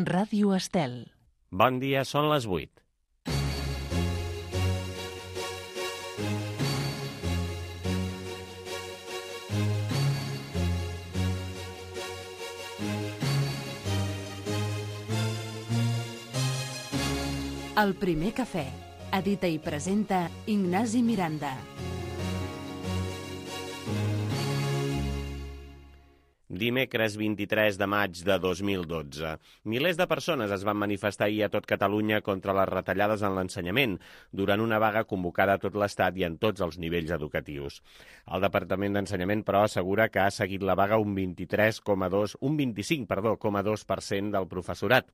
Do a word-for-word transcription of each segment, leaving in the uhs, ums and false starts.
Ràdio Estel. Bon dia, són les vuit. El primer cafè. Edita i presenta Ignasi Miranda. Dimecres vint-i-tres de maig de dos mil dotze. Milers de persones es van manifestar ahir a tot Catalunya contra les retallades en l'ensenyament, durant una vaga convocada a tot l'Estat i en tots els nivells educatius. El Departament d'Ensenyament, però, assegura que ha seguit la vaga un vint-i-tres coma dos, un vint-i-cinc, perdó, coma dos per cent del professorat,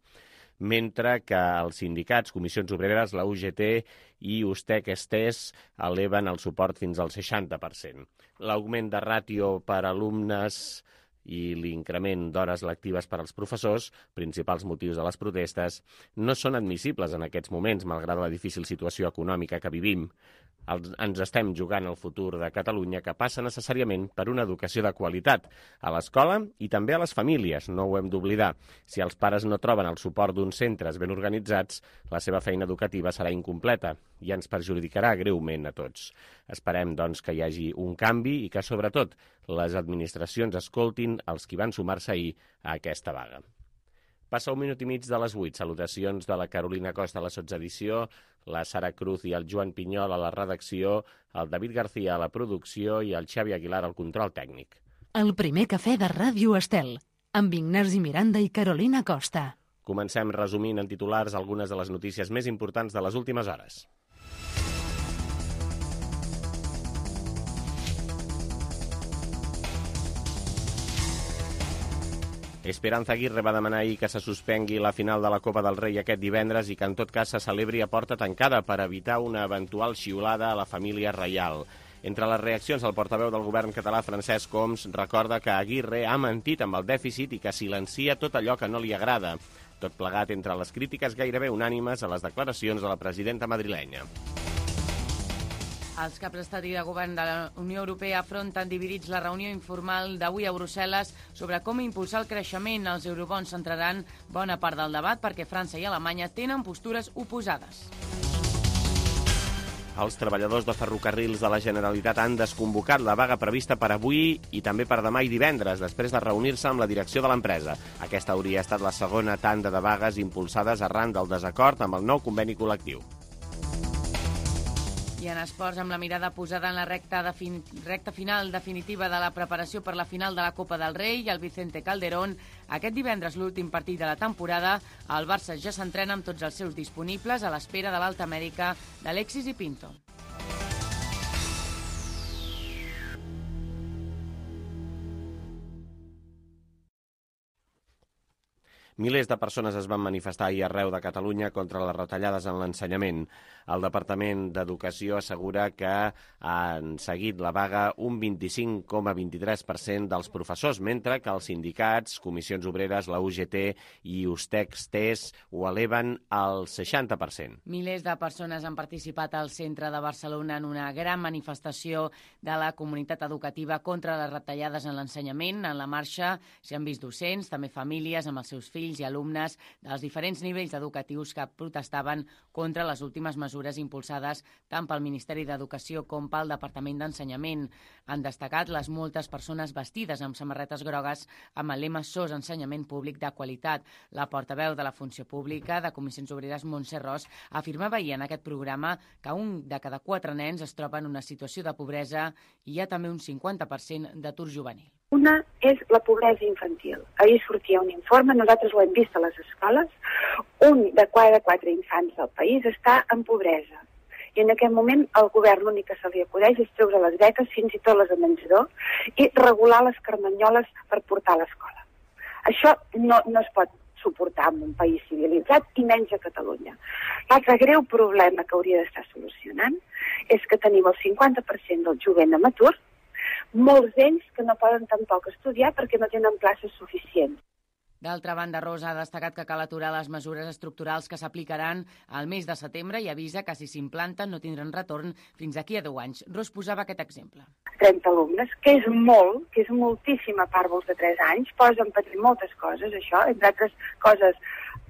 mentre que els sindicats, Comissions Obreres, la U G T i Ustec-Estés eleven el suport fins al seixanta per cent. L'augment de ràtio per alumnes i l'increment d'hores lectives per als professors, principals motius de les protestes, no són admissibles en aquests moments, malgrat la difícil situació econòmica que vivim. Ens estem jugant el futur de Catalunya, que passa necessàriament per una educació de qualitat a l'escola i també a les famílies, no ho hem d'oblidar. Si els pares no troben el suport d'uns centres ben organitzats, la seva feina educativa serà incompleta i ens perjudicarà greument a tots. Esperem, doncs, que hi hagi un canvi i que, sobretot, les administracions escoltin els qui van sumar-se ahir a aquesta vaga. Passa un minut i mig de les vuit. Salutacions de la Carolina Costa a la sotsedició, la Sara Cruz i el Joan Pinyol a la redacció, el David García a la producció i el Xavi Aguilar al control tècnic. El primer cafè de Ràdio Estel, amb Ignasi Miranda i Carolina Costa. Comencem resumint en titulars algunes de les notícies més importants de les últimes hores. Esperanza Aguirre va demanar ahir que se suspengui la final de la Copa del Rei aquest divendres i que en tot cas se celebri a porta tancada per evitar una eventual xiulada a la família reial. Entre les reaccions, el portaveu del govern català, Francesc Homs, recorda que Aguirre ha mentit amb el dèficit i que silencia tot allò que no li agrada. Tot plegat entre les crítiques gairebé unànimes a les declaracions de la presidenta madrilenya. Els caps d'estat i de govern de la Unió Europea afronten dividits la reunió informal d'avui a Brussel·les sobre com impulsar el creixement. Els eurobons centraran bona part del debat perquè França i Alemanya tenen postures oposades. Els treballadors de ferrocarrils de la Generalitat han desconvocat la vaga prevista per avui i també per demà i divendres, després de reunir-se amb la direcció de l'empresa. Aquesta hauria estat la segona tanda de vagues impulsades arran del desacord amb el nou conveni col·lectiu. I en esports, amb la mirada posada en la recta, de fin... recta final definitiva de la preparació per la final de la Copa del Rei i el Vicente Calderón, aquest divendres, l'últim partit de la temporada, el Barça ja s'entrena amb tots els seus disponibles a l'espera de l'alta mèdica d'Alexis i Pinto. Milers de persones es van manifestar ahir arreu de Catalunya contra les retallades en l'ensenyament. El Departament d'Educació assegura que han seguit la vaga un vint-i-cinc coma vint-i-tres per cent dels professors, mentre que els sindicats, Comissions Obreres, la U G T i Ustec-Estés ho eleven al seixanta per cent. Milers de persones han participat al centre de Barcelona en una gran manifestació de la comunitat educativa contra les retallades en l'ensenyament. En la marxa s'hi han vist docents, també famílies amb els seus fills i alumnes dels diferents nivells educatius que protestaven contra les últimes mesures impulsades tant pel Ministeri d'Educació com pel Departament d'Ensenyament. Han destacat les moltes persones vestides amb samarretes grogues amb el lema S O S Ensenyament Públic de Qualitat. La portaveu de la Funció Pública de Comissions Obreres, Montse Ros, afirmava ahir en aquest programa que un de cada quatre nens es troba en una situació de pobresa i hi ha també un cinquanta per cent d'atur juvenil. Una és la pobresa infantil. Ahir sortia un informe, nosaltres ho hem vist a les escoles, un de cada quatre infants del país està en pobresa. I en aquest moment el govern l'únic que se li acudeix és treure les beques, fins i tot les de menjador, i regular les carmanyoles per portar a l'escola. Això no, no es pot suportar en un país civilitzat i menys a Catalunya. L'altre greu problema que hauria d'estar solucionant és que tenim el cinquanta per cent del jovent amb atur, molts d'ells que no poden tampoc estudiar perquè no tenen places suficients. D'altra banda, Rosa ha destacat que cal aturar les mesures estructurals que s'aplicaran al mes de setembre i avisa que si s'implanten no tindran retorn fins d'aquí a deu anys. Ros posava aquest exemple. trenta alumnes, que és molt, que és moltíssima part dels de tres anys, posen per moltes coses, això, entre altres coses,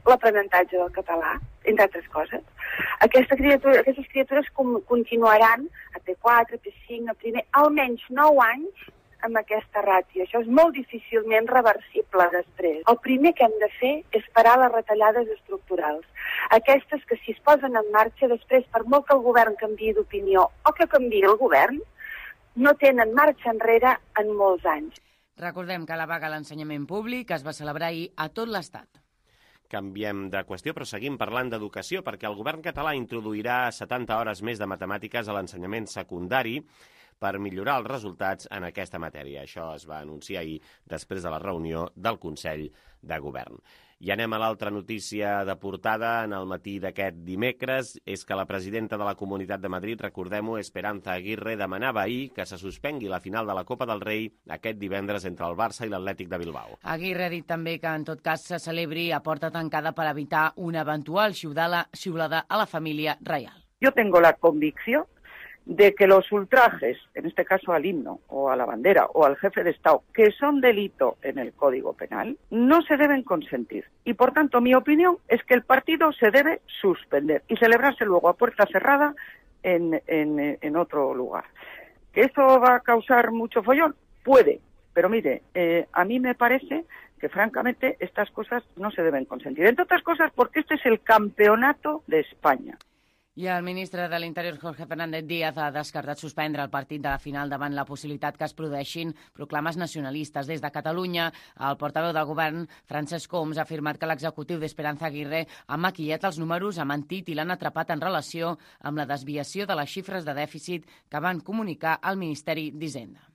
l'aprenentatge del català, entre altres coses. Aquesta criatura, aquestes criatures com, continuaran a P quatre, P cinc, a primer, almenys nou anys amb aquesta ràtio. Això és molt difícilment reversible després. El primer que hem de fer és parar les retallades estructurals. Aquestes que si es posen en marxa després, per molt que el govern canviï d'opinió o que canviï el govern, no tenen marxa enrere en molts anys. Recordem que la vaga a l'ensenyament públic es va celebrar ahir a tot l'Estat. Canviem de qüestió, però seguim parlant d'educació, perquè el govern català introduirà setanta hores més de matemàtiques a l'ensenyament secundari per millorar els resultats en aquesta matèria. Això es va anunciar ahir després de la reunió del Consell de Govern. I anem a l'altra notícia de portada en el matí d'aquest dimecres, és que la presidenta de la Comunitat de Madrid, recordem-ho, Esperanza Aguirre, demanava ahir que se suspengui la final de la Copa del Rei aquest divendres entre el Barça i l'Atlètic de Bilbao. Aguirre ha dit també que en tot cas se celebri a porta tancada per evitar una eventual xiulada a la família reial. Yo tengo la convicción de que los ultrajes, en este caso al himno o a la bandera o al jefe de Estado, que son delito en el Código Penal, no se deben consentir. Y por tanto, mi opinión es que el partido se debe suspender y celebrarse luego a puerta cerrada en, en, en otro lugar. ¿Que esto va a causar mucho follón? Puede, pero mire, eh, a mí me parece que francamente estas cosas no se deben consentir. Entre otras cosas porque este es el campeonato de España. I el ministre de l'Interior, Jorge Fernández Díaz, ha descartat suspendre el partit de la final davant la possibilitat que es produeixin proclames nacionalistes. Des de Catalunya, el portaveu del govern, Francesc Homs, ha afirmat que l'executiu d'Esperanza Aguirre ha maquillat els números, ha mentit i l'han atrapat en relació amb la desviació de les xifres de dèficit que van comunicar al Ministeri d'Hisenda.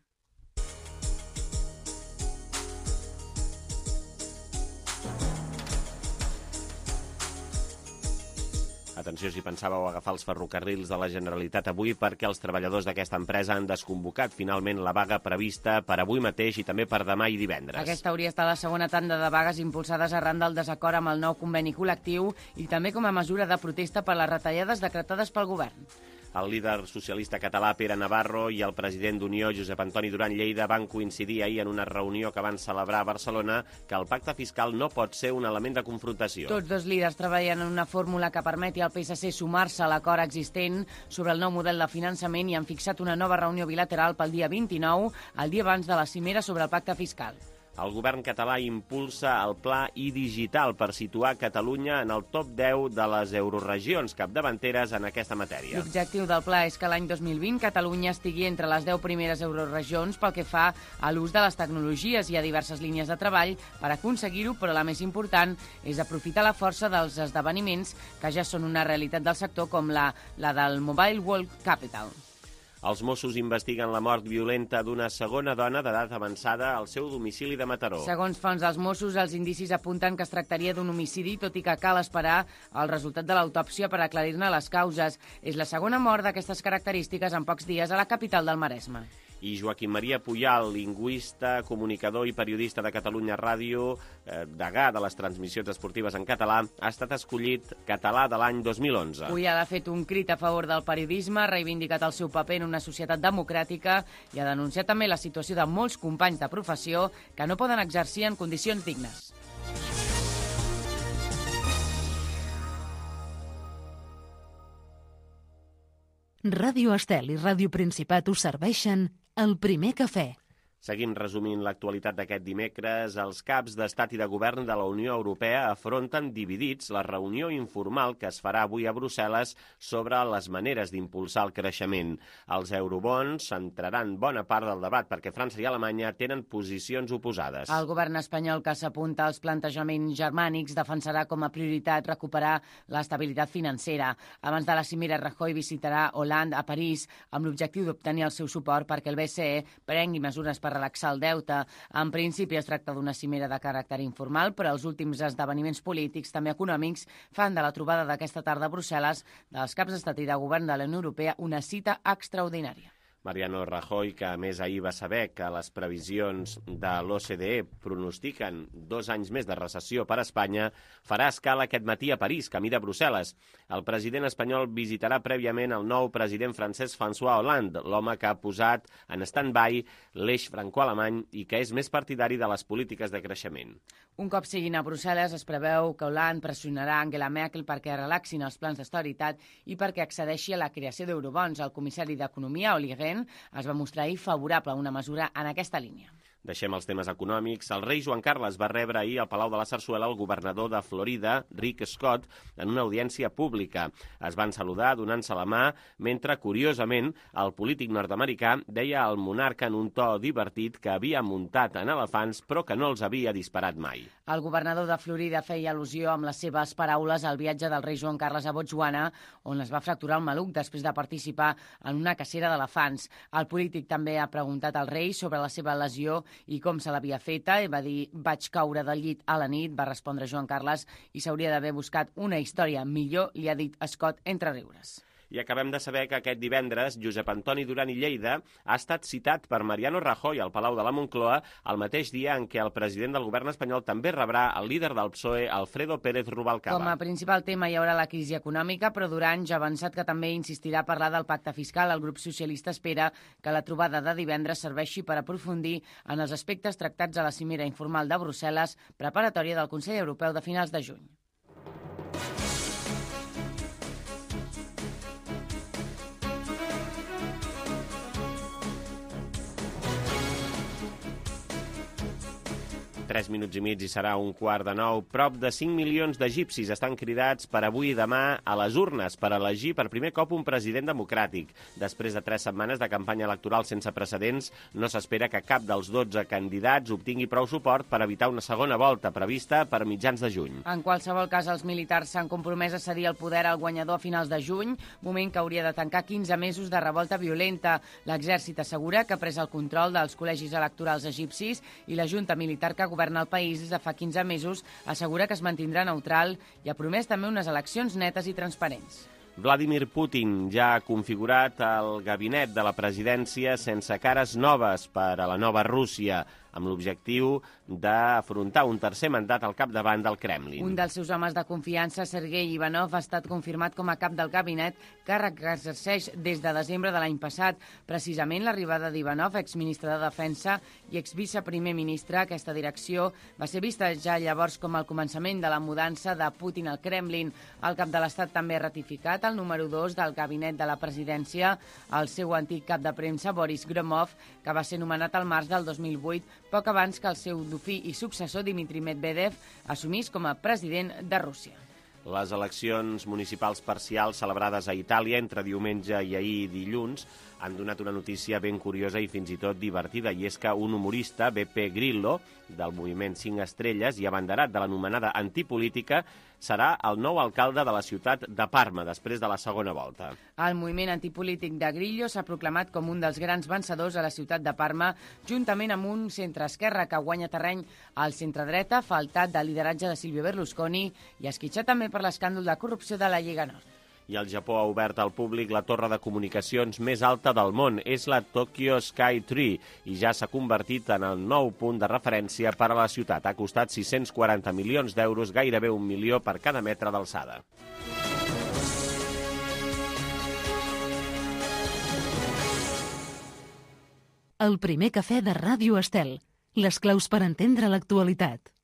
Atenció si pensàveu agafar els ferrocarrils de la Generalitat avui, perquè els treballadors d'aquesta empresa han desconvocat finalment la vaga prevista per avui mateix i també per demà i divendres. Aquesta hauria estat la segona tanda de vagues impulsades arran del desacord amb el nou conveni col·lectiu i també com a mesura de protesta per les retallades decretades pel govern. El líder socialista català Pere Navarro i el president d'Unió, Josep Antoni Duran Lleida, van coincidir ahir en una reunió que van celebrar a Barcelona que el pacte fiscal no pot ser un element de confrontació. Tots dos líders treballen en una fórmula que permeti al P S C sumar-se a l'acord existent sobre el nou model de finançament i han fixat una nova reunió bilateral pel dia vint-i-nou, el dia abans de la cimera sobre el pacte fiscal. El govern català impulsa el pla iDigital per situar Catalunya en el top deu de les euroregions capdavanteres en aquesta matèria. L'objectiu del pla és que l'any dos mil vint Catalunya estigui entre les deu primeres euroregions pel que fa a l'ús de les tecnologies. Hi ha diverses línies de treball per aconseguir-ho, però la més important és aprofitar la força dels esdeveniments que ja són una realitat del sector, com la, la del Mobile World Capital. Els Mossos investiguen la mort violenta d'una segona dona d'edat avançada al seu domicili de Mataró. Segons fonts dels Mossos, els indicis apunten que es tractaria d'un homicidi, tot i que cal esperar el resultat de l'autòpsia per aclarir-ne les causes. És la segona mort d'aquestes característiques en pocs dies a la capital del Maresme. I Joaquim Maria Puyal, lingüista, comunicador i periodista de Catalunya Ràdio, eh, degà de les transmissions esportives en català, ha estat escollit català de l'any dos mil onze. Puyal ha fet un crit a favor del periodisme, ha reivindicat el seu paper en una societat democràtica i ha denunciat també la situació de molts companys de professió que no poden exercir en condicions dignes. Ràdio Estel i Ràdio Principat us serveixen El Primer Cafè. Seguim resumint l'actualitat d'aquest dimecres. Els caps d'Estat i de Govern de la Unió Europea afronten dividits la reunió informal que es farà avui a Brussel·les sobre les maneres d'impulsar el creixement. Els eurobons centraran bona part del debat perquè França i Alemanya tenen posicions oposades. El govern espanyol, que s'apunta als plantejaments germànics, defensarà com a prioritat recuperar l'estabilitat financera. Abans de la cimera, Rajoy visitarà Hollande a París amb l'objectiu d'obtenir el seu suport perquè el B C E prengui mesures per per relaxar el deute. En principi es tracta d'una cimera de caràcter informal, però els últims esdeveniments polítics, també econòmics, fan de la trobada d'aquesta tarda a Brussel·les dels caps d'Estat i de Govern de la Unió Europea una cita extraordinària. Mariano Rajoy, que a més ahir va saber que les previsions de l'O C D E pronostiquen dos anys més de recessió per a Espanya, farà escala aquest matí a París, camí de Brussel·les. El president espanyol visitarà prèviament el nou president francès François Hollande, l'home que ha posat en stand-by l'eix franco-alemany i que és més partidari de les polítiques de creixement. Un cop siguin a Brussel·les, es preveu que Hollande pressionarà Angela Merkel perquè relaxin els plans d'austeritat i perquè accedeixi a la creació d'eurobons. El comissari d'Economia, Olli Rehn, es va mostrar ahir favorable a una mesura en aquesta línia. Deixem els temes econòmics. El rei Joan Carles va rebre ahir al Palau de la Sarsuela el governador de Florida, Rick Scott, en una audiència pública. Es van saludar donant-se la mà, mentre, curiosament, el polític nord-americà deia al monarca en un to divertit que havia muntat en elefants però que no els havia disparat mai. El governador de Florida feia al·lusió amb les seves paraules al viatge del rei Joan Carles a Botswana, on es va fracturar el maluc després de participar en una cacera d'elefants. El polític també ha preguntat al rei sobre la seva lesió i com se l'havia feta, i va dir: vaig caure del llit a la nit, va respondre Joan Carles, i s'hauria d'haver buscat una història millor, li ha dit Scott entre riures. I acabem de saber que aquest divendres Josep Antoni Duran i Lleida ha estat citat per Mariano Rajoy al Palau de la Moncloa el mateix dia en què el president del govern espanyol també rebrà el líder del P S O E, Alfredo Pérez Rubalcaba. Com a principal tema hi haurà la crisi econòmica, però Duran ja ha avançat que també insistirà a parlar del pacte fiscal. El grup socialista espera que la trobada de divendres serveixi per aprofundir en els aspectes tractats a la cimera informal de Brussel·les, preparatòria del Consell Europeu de finals de juny. Tres minuts i mig i serà un quart de nou. Prop de cinc milions d'egipcis estan cridats per avui i demà a les urnes per elegir per primer cop un president democràtic. Després de tres setmanes de campanya electoral sense precedents, no s'espera que cap dels dotze candidats obtingui prou suport per evitar una segona volta prevista per mitjans de juny. En qualsevol cas, els militars s'han compromès a cedir el poder al guanyador a finals de juny, moment que hauria de tancar quinze mesos de revolta violenta. L'exèrcit assegura que ha pres el control dels col·legis electorals egipcis i la junta militar que governa el país des de fa quinze mesos assegura que es mantindrà neutral i ha promès també unes eleccions netes i transparents. Vladimir Putin ja ha configurat el gabinet de la presidència sense cares noves per a la nova Rússia, amb l'objectiu d'afrontar un tercer mandat al capdavant del Kremlin. Un dels seus homes de confiança, Sergei Ivanov, ha estat confirmat com a cap del gabinet, càrrec que exerceix des de desembre de l'any passat. Precisament l'arribada d'Ivanov, exministre de Defensa i exviceprimer ministre, aquesta direcció va ser vista ja llavors com el començament de la mudança de Putin al Kremlin. El cap de l'Estat també ha ratificat el número dos del gabinet de la presidència, el seu antic cap de premsa, Boris Gromov, que va ser nomenat al març del dos mil vuit, poc abans que el seu dofí i successor, Dmitry Medvedev, assumís com a president de Rússia. Les eleccions municipals parcials celebrades a Itàlia entre diumenge i ahir dilluns han donat una notícia ben curiosa i fins i tot divertida, i és que un humorista, Beppe Grillo, del moviment cinc estrelles i abanderat de l'anomenada antipolítica, serà el nou alcalde de la ciutat de Parma, després de la segona volta. El moviment antipolític de Grillo s'ha proclamat com un dels grans vencedors a la ciutat de Parma, juntament amb un centre-esquerra que guanya terreny al centre-dreta, faltat de lideratge de Silvio Berlusconi i esquitxat també per l'escàndol de corrupció de la Lliga Nord. I el Japó ha obert al públic la torre de comunicacions més alta del món. És la Tokyo Sky Tree i ja s'ha convertit en el nou punt de referència per a la ciutat. Ha costat sis-cents quaranta milions d'euros, gairebé un milió per cada metre d'alçada. El primer cafè de Ràdio Estel. Les claus per entendre l'actualitat.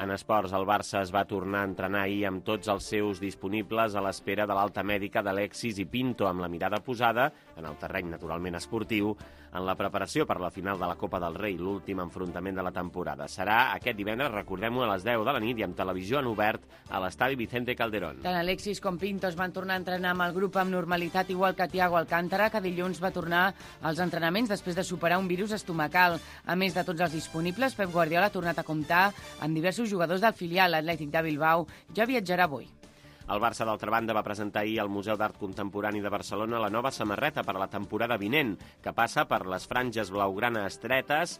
En esports, el Barça es va tornar a entrenar ahir amb tots els seus disponibles a l'espera de l'alta mèdica d'Alexis i Pinto, amb la mirada posada, en el terreny naturalment esportiu, en la preparació per la final de la Copa del Rei, l'últim enfrontament de la temporada. Serà aquest divendres, recordem-ho, a les deu de la nit i amb televisió en obert a l'estadi Vicente Calderón. Tant Alexis com Pinto es van tornar a entrenar amb el grup amb normalitat, igual que Thiago Alcántara, que dilluns va tornar als entrenaments després de superar un virus estomacal. A més de tots els disponibles, Pep Guardiola ha tornat a comptar amb diversos jugadors del filial Atlètic de Bilbao. Ja viatjarà avui. El Barça, d'altra banda, va presentar ahir al Museu d'Art Contemporani de Barcelona la nova samarreta per a la temporada vinent, que passa per les franges blaugrana estretes,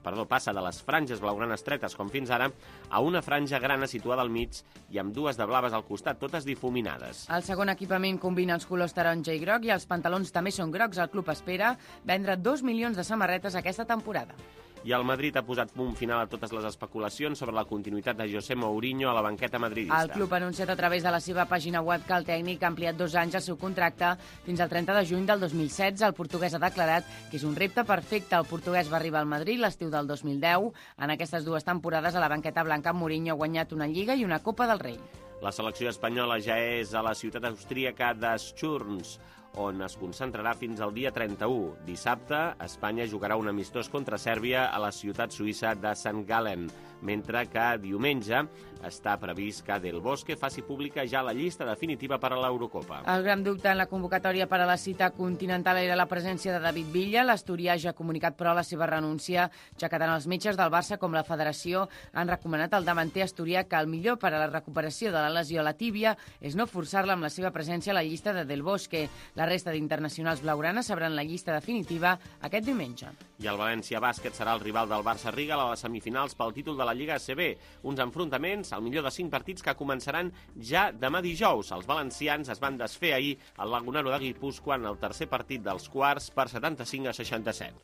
perdó, passa de les franges blaugranes estretes, com fins ara, a una franja grana situada al mig i amb dues de blaves al costat, totes difuminades. El segon equipament combina els colors taronja i groc i els pantalons també són grocs. El club espera vendre dos milions de samarretes aquesta temporada. I el Madrid ha posat punt final a totes les especulacions sobre la continuïtat de José Mourinho a la banqueta madridista. El club ha anunciat a través de la seva pàgina web que el tècnic ha ampliat dos anys el seu contracte fins al trenta de juny del dos mil setze. El portuguès ha declarat que és un repte perfecte. El portuguès va arribar al Madrid l'estiu del dos mil deu. En aquestes dues temporades a la banqueta blanca, Mourinho ha guanyat una Lliga i una Copa del Rei. La selecció espanyola ja és a la ciutat austríaca de Schurns, on es concentrarà fins al dia trenta-u. Dissabte, Espanya jugarà un amistós contra Sèrbia a la ciutat suïssa de Sant Gallen, mentre que diumenge està previst que Del Bosque faci pública ja la llista definitiva per a l'Eurocopa. El gran dubte en la convocatòria per a la cita continental era la presència de David Villa. L'asturià ja ha comunicat, però, la seva renúncia, ja que tant els metges del Barça com la federació han recomanat al davanter asturià que el millor per a la recuperació de la lesió a la tíbia és no forçar-la amb la seva presència a la llista de Del Bosque. La resta d'internacionals blaugranes sabran la llista definitiva aquest diumenge. I el València Bàsquet serà el rival del Barça Riga a les semifinals pel títol de la Lliga A C B. Uns enfrontaments al millor de cinc partits que començaran ja demà dijous. Els valencians es van desfer ahir al Lagunaro de Guipúscoa en el tercer partit dels quarts per setanta-cinc a seixanta-set.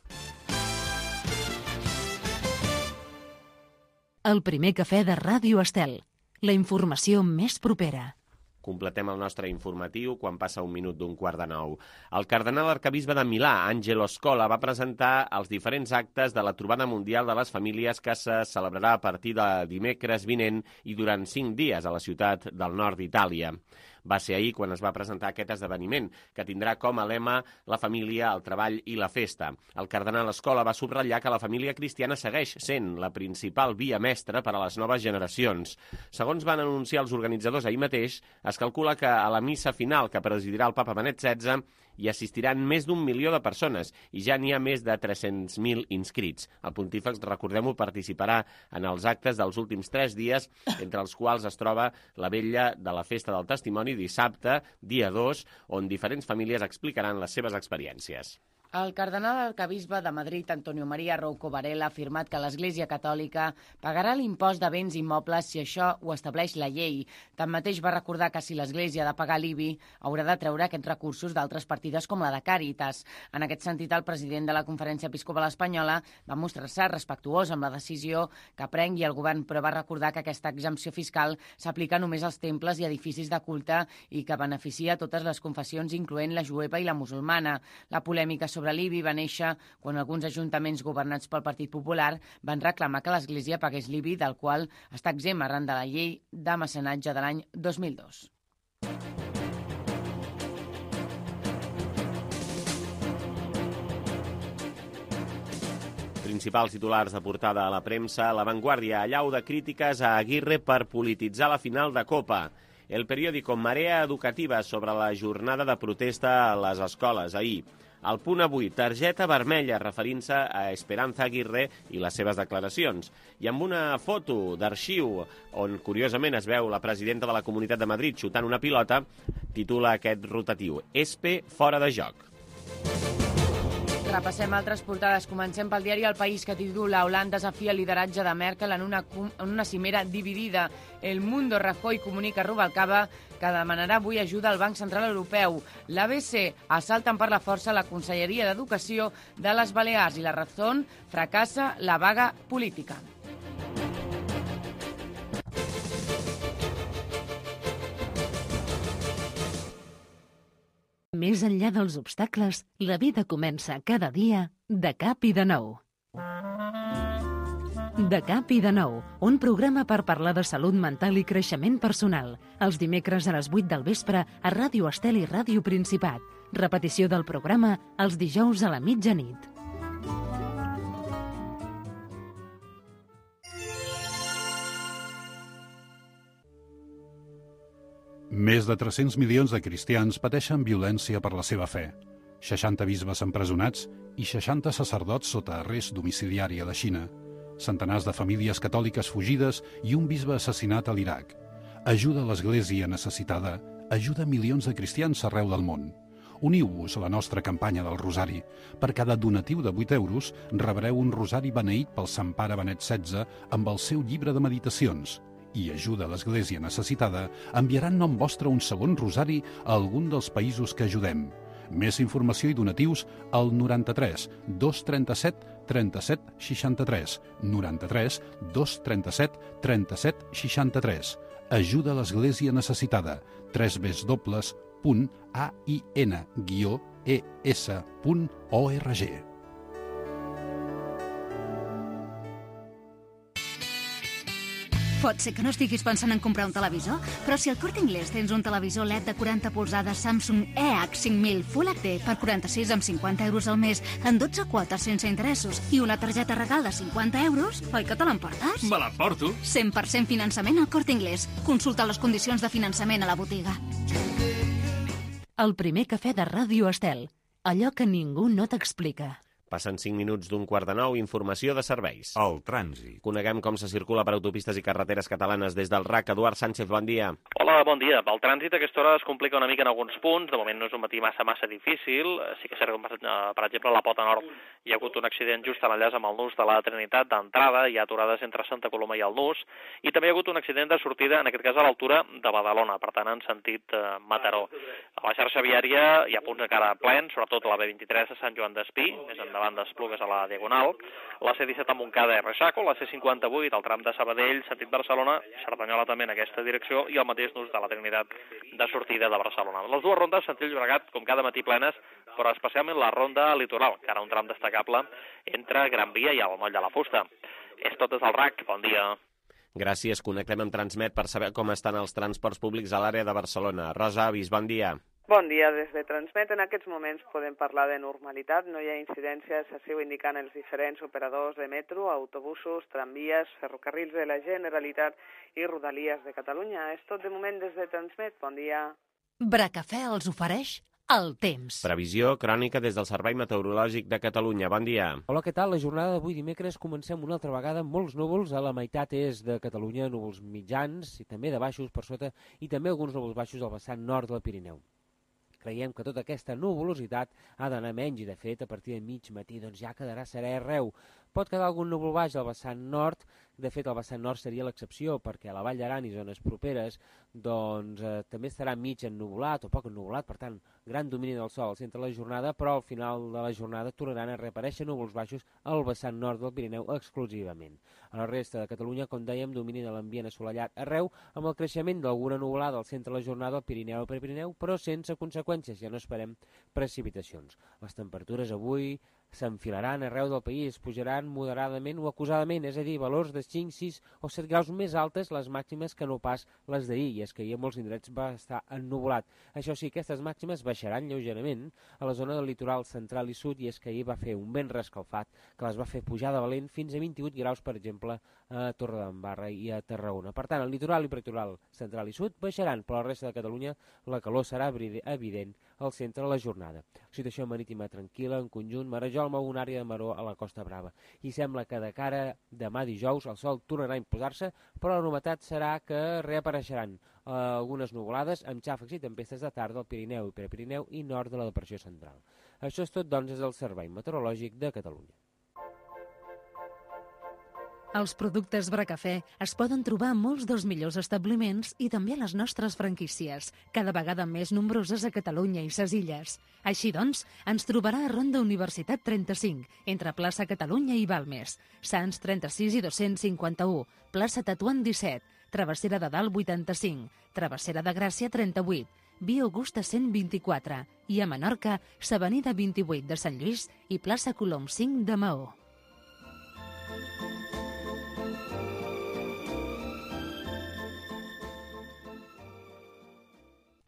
El primer cafè de Ràdio Estel. La informació més propera. Completem el nostre informatiu quan passa un minut d'un quart de nou. El cardenal arquebisbe de Milà, Angelo Scola, va presentar els diferents actes de la Trobada Mundial de les Famílies que se celebrarà a partir de dimecres vinent i durant cinc dies a la ciutat del nord d'Itàlia. Va ser ahir quan es va presentar aquest esdeveniment, que tindrà com a lema la família, el treball i la festa. El cardenal Scola va subratllar que la família cristiana segueix sent la principal via mestra per a les noves generacions. Segons van anunciar els organitzadors ahir mateix, es calcula que a la missa final que presidirà el papa Benet setze hi assistiran més d'un milió de persones i ja n'hi ha més de tres-cents mil inscrits. El pontífex, recordem-ho, participarà en els actes dels últims tres dies, entre els quals es troba la vetlla de la Festa del Testimoni dissabte, dia dos, on diferents famílies explicaran les seves experiències. El cardenal arquebisbe de Madrid, Antonio María Rouco Varela, ha afirmat que l'Església Catòlica pagarà l'impost de béns immobles si això ho estableix la llei. Tanmateix va recordar que si l'Església ha de pagar l'I B I, haurà de treure aquests recursos d'altres partides com la de Càritas. En aquest sentit, el president de la Conferència Episcopal Espanyola va mostrar-se respectuós amb la decisió que prengui el govern, però va recordar que aquesta exempció fiscal s'aplica només als temples i edificis de culte i que beneficia totes les confessions, incloent la jueva i la musulmana. La polèmica sobre sobre l'I B I va néixer quan alguns ajuntaments governats pel Partit Popular van reclamar que l'Església pagués l'I B I, del qual està exempt arran de la llei de mecenatge de l'any dos mil dos. Principals titulars de portada a la premsa. La Vanguardia allau de crítiques a Aguirre per polititzar la final de Copa. El periòdico Marea Educativa sobre la jornada de protesta a les escoles ahir. Al Punt avui, targeta vermella referint-se a Esperanza Aguirre i les seves declaracions. I amb una foto d'arxiu on, curiosament, es veu la presidenta de la Comunitat de Madrid xutant una pilota, titula aquest rotatiu: Espe fora de joc. Repassem altres portades. Comencem pel diari El País, que titula Holanda desafia el lideratge de Merkel en una, en una cimera dividida. El Mundo, Rajoy comunica a Rubalcaba que demanarà avui ajuda al Banc Central Europeu. L'A B C assalten per la força la Conselleria d'Educació de les Balears i la Razón fracassa la vaga política. Més enllà dels obstacles, la vida comença cada dia de cap i de nou. De cap i de nou, un programa per parlar de salut mental i creixement personal. Els dimecres a les vuit del vespre a Ràdio Estel i Ràdio Principat. Repetició del programa els dijous a la mitjanit. Més de tres-cents milions de cristians pateixen violència per la seva fe. seixanta bisbes empresonats i seixanta sacerdots sota arrest domiciliari a la Xina. Centenars de famílies catòliques fugides i un bisbe assassinat a l'Iraq. Ajuda a l'Església necessitada, ajuda milions de cristians arreu del món. Uniu-vos a la nostra campanya del Rosari. Per cada donatiu de vuit euros rebreu un rosari beneït pel Sant Pare Benet setze amb el seu llibre de meditacions. I Ajuda a l'Església Necessitada enviaran nom vostre un segon rosari a algun dels països que ajudem. Més informació i donatius al noranta-tres dos trenta-set trenta-set seixanta-tres, noranta-tres dos trenta-set trenta-set seixanta-tres. Ajuda a l'Església Necessitada, tres dobles punt a i ena guió e essa punt org. Pot ser que no estiguis pensant en comprar un televisor, però si al Corte Inglés tens un televisor L E D de quaranta polzades Samsung E H cinc mil Full H D per quaranta-sis amb cinquanta euros al mes en dotze quotes sense interessos i una targeta regal de cinquanta euros, oi que te l'emportes? Me l'emporto. cent per cent finançament al Corte Inglés. Consulta les condicions de finançament a la botiga. El primer cafè de Ràdio Estel. Allò que ningú no t'explica. Passen cinc minuts d'un quart de nou, informació de serveis. El trànsit. Coneguem com se circula per autopistes i carreteres catalanes des del R A C. Eduard Sánchez, bon dia. Hola, bon dia. El trànsit a aquesta hora es complica una mica en alguns punts. De moment no és un matí massa, massa difícil. Sí que és cert que, per exemple, a la Pota Nord hi ha hagut un accident just a l'enllaç amb el nus de la Trinitat d'entrada. Hi ha aturades entre Santa Coloma i el nus. I també hi ha hagut un accident de sortida, en aquest cas a l'altura de Badalona, per tant, en sentit eh, Mataró. A la xarxa viària hi ha punts encara plens, sobretot a la B vint-i-tres a Sant Joan d'Espí, més endavant d'Esplugues a la Diagonal, la C disset a Montcada i Reixaco, la C cinquanta-vuit al tram de Sabadell, sentit Barcelona, Cerdanyola també en aquesta direcció, i el mateix nus de la Trinitat de sortida de Barcelona. Les dues rondes sentit Llobregat, com cada matí plenes, però especialment la ronda litoral, que ara un tram destacable entre Gran Via i el Moll de la Fusta. És tot des del R A C. Bon dia. Gràcies. Connectem amb Transmet per saber com estan els transports públics a l'àrea de Barcelona. Rosa Avis, bon dia. Bon dia, des de Transmet. En aquests moments podem parlar de normalitat. No hi ha incidències, així ho indiquen els diferents operadors de metro, autobusos, tramvies, ferrocarrils de la Generalitat i Rodalies de Catalunya. És tot de moment des de Transmet. Bon dia. Bracafè els ofereix el temps. Previsió crònica des del Servei Meteorològic de Catalunya. Bon dia. Hola, què tal? La jornada d'avui dimecres comencem una altra vegada amb molts núvols a la meitat est de Catalunya, núvols mitjans i també de baixos per sota i també alguns núvols baixos al vessant nord del Pirineu. Creiem que tota aquesta nuvolositat ha d'anar menys i, de fet, a partir de mig matí doncs, ja quedarà serè arreu. Pot quedar algun núvol baix al vessant nord. De fet, el vessant nord seria l'excepció, perquè a la Vall d'Aran i zones properes doncs, eh, també estarà mig ennuvolat o poc ennuvolat, per tant, gran domini del sol al centre de la jornada, però al final de la jornada tornaran a reaparèixer núvols baixos al vessant nord del Pirineu exclusivament. A la resta de Catalunya, com dèiem, domini de l'ambient assolellat arreu, amb el creixement d'alguna nuvolada al centre de la jornada al Pirineu i Prepirineu, però sense conseqüències, ja no esperem precipitacions. Les temperatures avui s'enfilaran arreu del país, pujaran moderadament o acusadament, és a dir, valors de cinc, sis o set graus més altes les màximes que no pas les d'ahir, i és que ahir a molts indrets va estar ennuvolat. Això sí, aquestes màximes baixaran lleugerament a la zona del litoral central i sud, i és que ahir va fer un vent rescalfat que les va fer pujar de valent fins a vint-i-vuit graus, per exemple, a Torredembarra i a Tarragona. Per tant, el litoral i prelitoral central i sud baixaran, però a la resta de Catalunya la calor serà evident al centre de la jornada. Situació marítima tranquil·la, en conjunt, Marejol mou una àrea de maró a la Costa Brava. I sembla que de cara demà dijous el sol tornarà a imposar-se, però la novetat serà que reapareixeran eh, algunes nuvolades amb xàfecs i tempestes de tarda al Pirineu i Prepirineu i nord de la depressió central. Això és tot, doncs, des del Servei Meteorològic de Catalunya. Els productes Bracafè es poden trobar a molts dels millors establiments i també a les nostres franquícies, cada vegada més nombroses a Catalunya i ses Illes. Així doncs, ens trobarà a Ronda Universitat trenta-cinc, entre plaça Catalunya i Balmes, Sants trenta-sis i dos-cents cinquanta-u, plaça Tetuan disset, Travessera de Dalt vuitanta-cinc, Travessera de Gràcia trenta-vuit, Via Augusta cent vint-i-quatre i a Menorca, s'Avenida vint-i-vuit de Sant Lluís i plaça Colom cinc de Maó.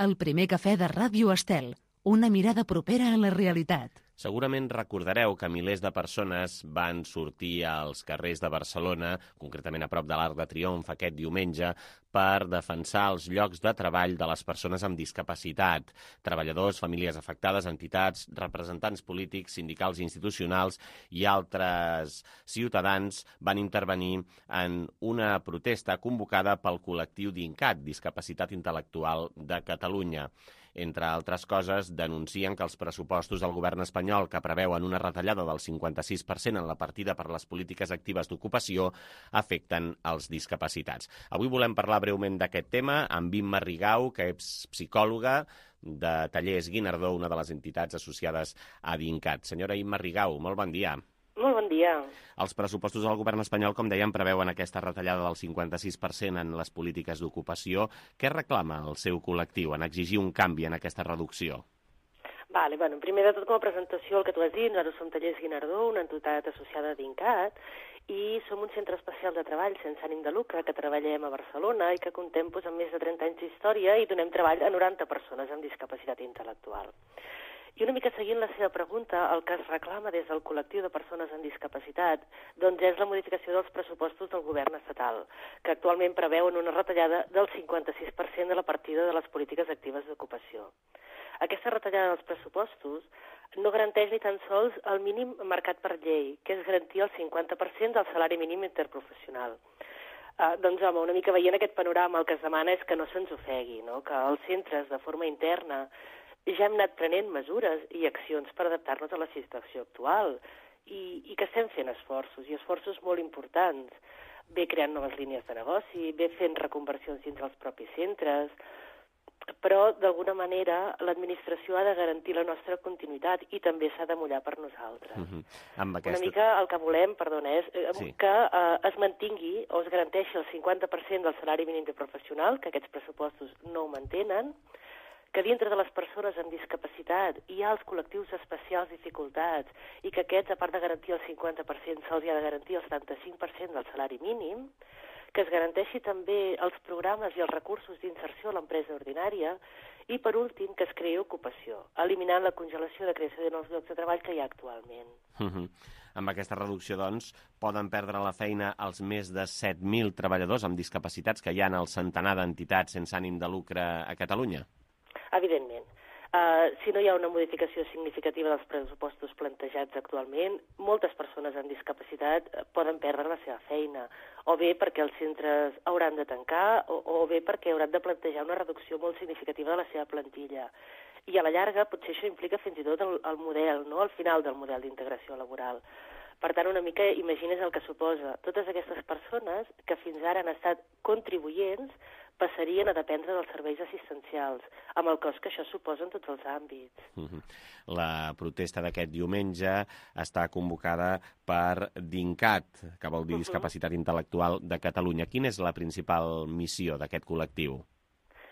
El primer cafè de Ràdio Estel, una mirada propera a la realitat. Segurament recordareu que milers de persones van sortir als carrers de Barcelona, concretament a prop de l'Arc de Triomf aquest diumenge, per defensar els llocs de treball de les persones amb discapacitat. Treballadors, famílies afectades, entitats, representants polítics, sindicals i institucionals i altres ciutadans van intervenir en una protesta convocada pel col·lectiu DINCAT, Discapacitat Intel·lectual de Catalunya. Entre altres coses, denuncien que els pressupostos del govern espanyol, que preveuen una retallada del cinquanta-sis per cent en la partida per les polítiques actives d'ocupació, afecten els discapacitats. Avui volem parlar breument d'aquest tema amb Imma Rigau, que és psicòloga de Tallers Guinardó, una de les entitats associades a DINCAT. Senyora Imma Rigau, molt bon dia. Molt bon dia. Els pressupostos del govern espanyol, com dèiem, preveuen aquesta retallada del cinquanta-sis per cent en les polítiques d'ocupació. Què reclama el seu col·lectiu en exigir un canvi en aquesta reducció? Vale, bueno, primer de tot, com a presentació, el que tu has dit, nosaltres som Tallers Guinardó, una entitat associada a DINCAT, i som un centre especial de treball sense ànim de lucre que treballem a Barcelona i que contem doncs, amb més de trenta anys d'història i donem treball a noranta persones amb discapacitat intel·lectual. I una mica seguint la seva pregunta, el que es reclama des del col·lectiu de persones amb discapacitat doncs és la modificació dels pressupostos del govern estatal, que actualment preveuen una retallada del cinquanta-sis per cent de la partida de les polítiques actives d'ocupació. Aquesta retallada dels pressupostos no garanteix ni tan sols el mínim marcat per llei, que és garantir el cinquanta per cent del salari mínim interprofessional. Uh, doncs, home, una mica veient aquest panorama, el que es demana és que no se'ns ofegui, no? Que els centres, de forma interna, ja hem anat prenent mesures i accions per adaptar-nos a la situació actual i, i que estem fent esforços, i esforços molt importants. Bé creant noves línies de negoci, bé fent reconversions dins dels propis centres, però d'alguna manera l'administració ha de garantir la nostra continuïtat i també s'ha de mullar per nosaltres. Uh-huh. Amb aquesta... Una mica el que volem, perdona, és eh, sí. que eh, es mantingui o es garanteixi el cinquanta per cent del salari mínim de professional, que aquests pressupostos no ho mantenen, que dintre de les persones amb discapacitat hi ha els col·lectius d'especials dificultats i que aquests, a part de garantir el cinquanta per cent, se'ls ha de garantir el setanta-cinc per cent del salari mínim, que es garanteixi també els programes i els recursos d'inserció a l'empresa ordinària i, per últim, que es creï ocupació, eliminant la congelació de creació de nous llocs de treball que hi ha actualment. Uh-huh. Amb aquesta reducció, doncs, poden perdre la feina els més de set mil treballadors amb discapacitats que hi ha en el centenar d'entitats sense ànim de lucre a Catalunya? Evidentment. Uh, si no hi ha una modificació significativa dels pressupostos plantejats actualment, moltes persones amb discapacitat poden perdre la seva feina, o bé perquè els centres hauran de tancar, o, o bé perquè hauran de plantejar una reducció molt significativa de la seva plantilla. I a la llarga potser això implica fins i tot el, el model, no? El final del model d'integració laboral. Per tant, una mica imagines el que suposa. Totes aquestes persones que fins ara han estat contribuents passarien a dependre dels serveis assistencials, amb el cost que això suposa en tots els àmbits. Uh-huh. La protesta d'aquest diumenge està convocada per DINCAT, que vol dir uh-huh. Discapacitat Intel·lectual de Catalunya. Quina és la principal missió d'aquest col·lectiu?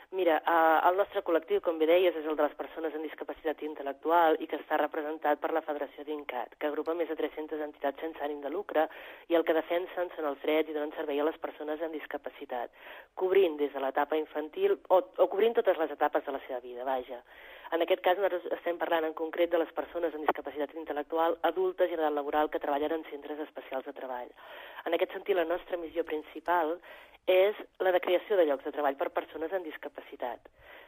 Mira, eh, el nostre col·lectiu, com bé deies, és el de les persones amb discapacitat intel·lectual i que està representat per la Federació DINCAT, que agrupa més de tres-centes entitats sense ànim de lucre i el que defensen són els drets i donen servei a les persones amb discapacitat, cobrint des de l'etapa infantil o, o cobrint totes les etapes de la seva vida, vaja. En aquest cas, nosaltres estem parlant en concret de les persones amb discapacitat intel·lectual adultes i en edat laboral que treballen en centres especials de treball. En aquest sentit, la nostra missió principal és la de creació de llocs de treball per persones amb discapacitat.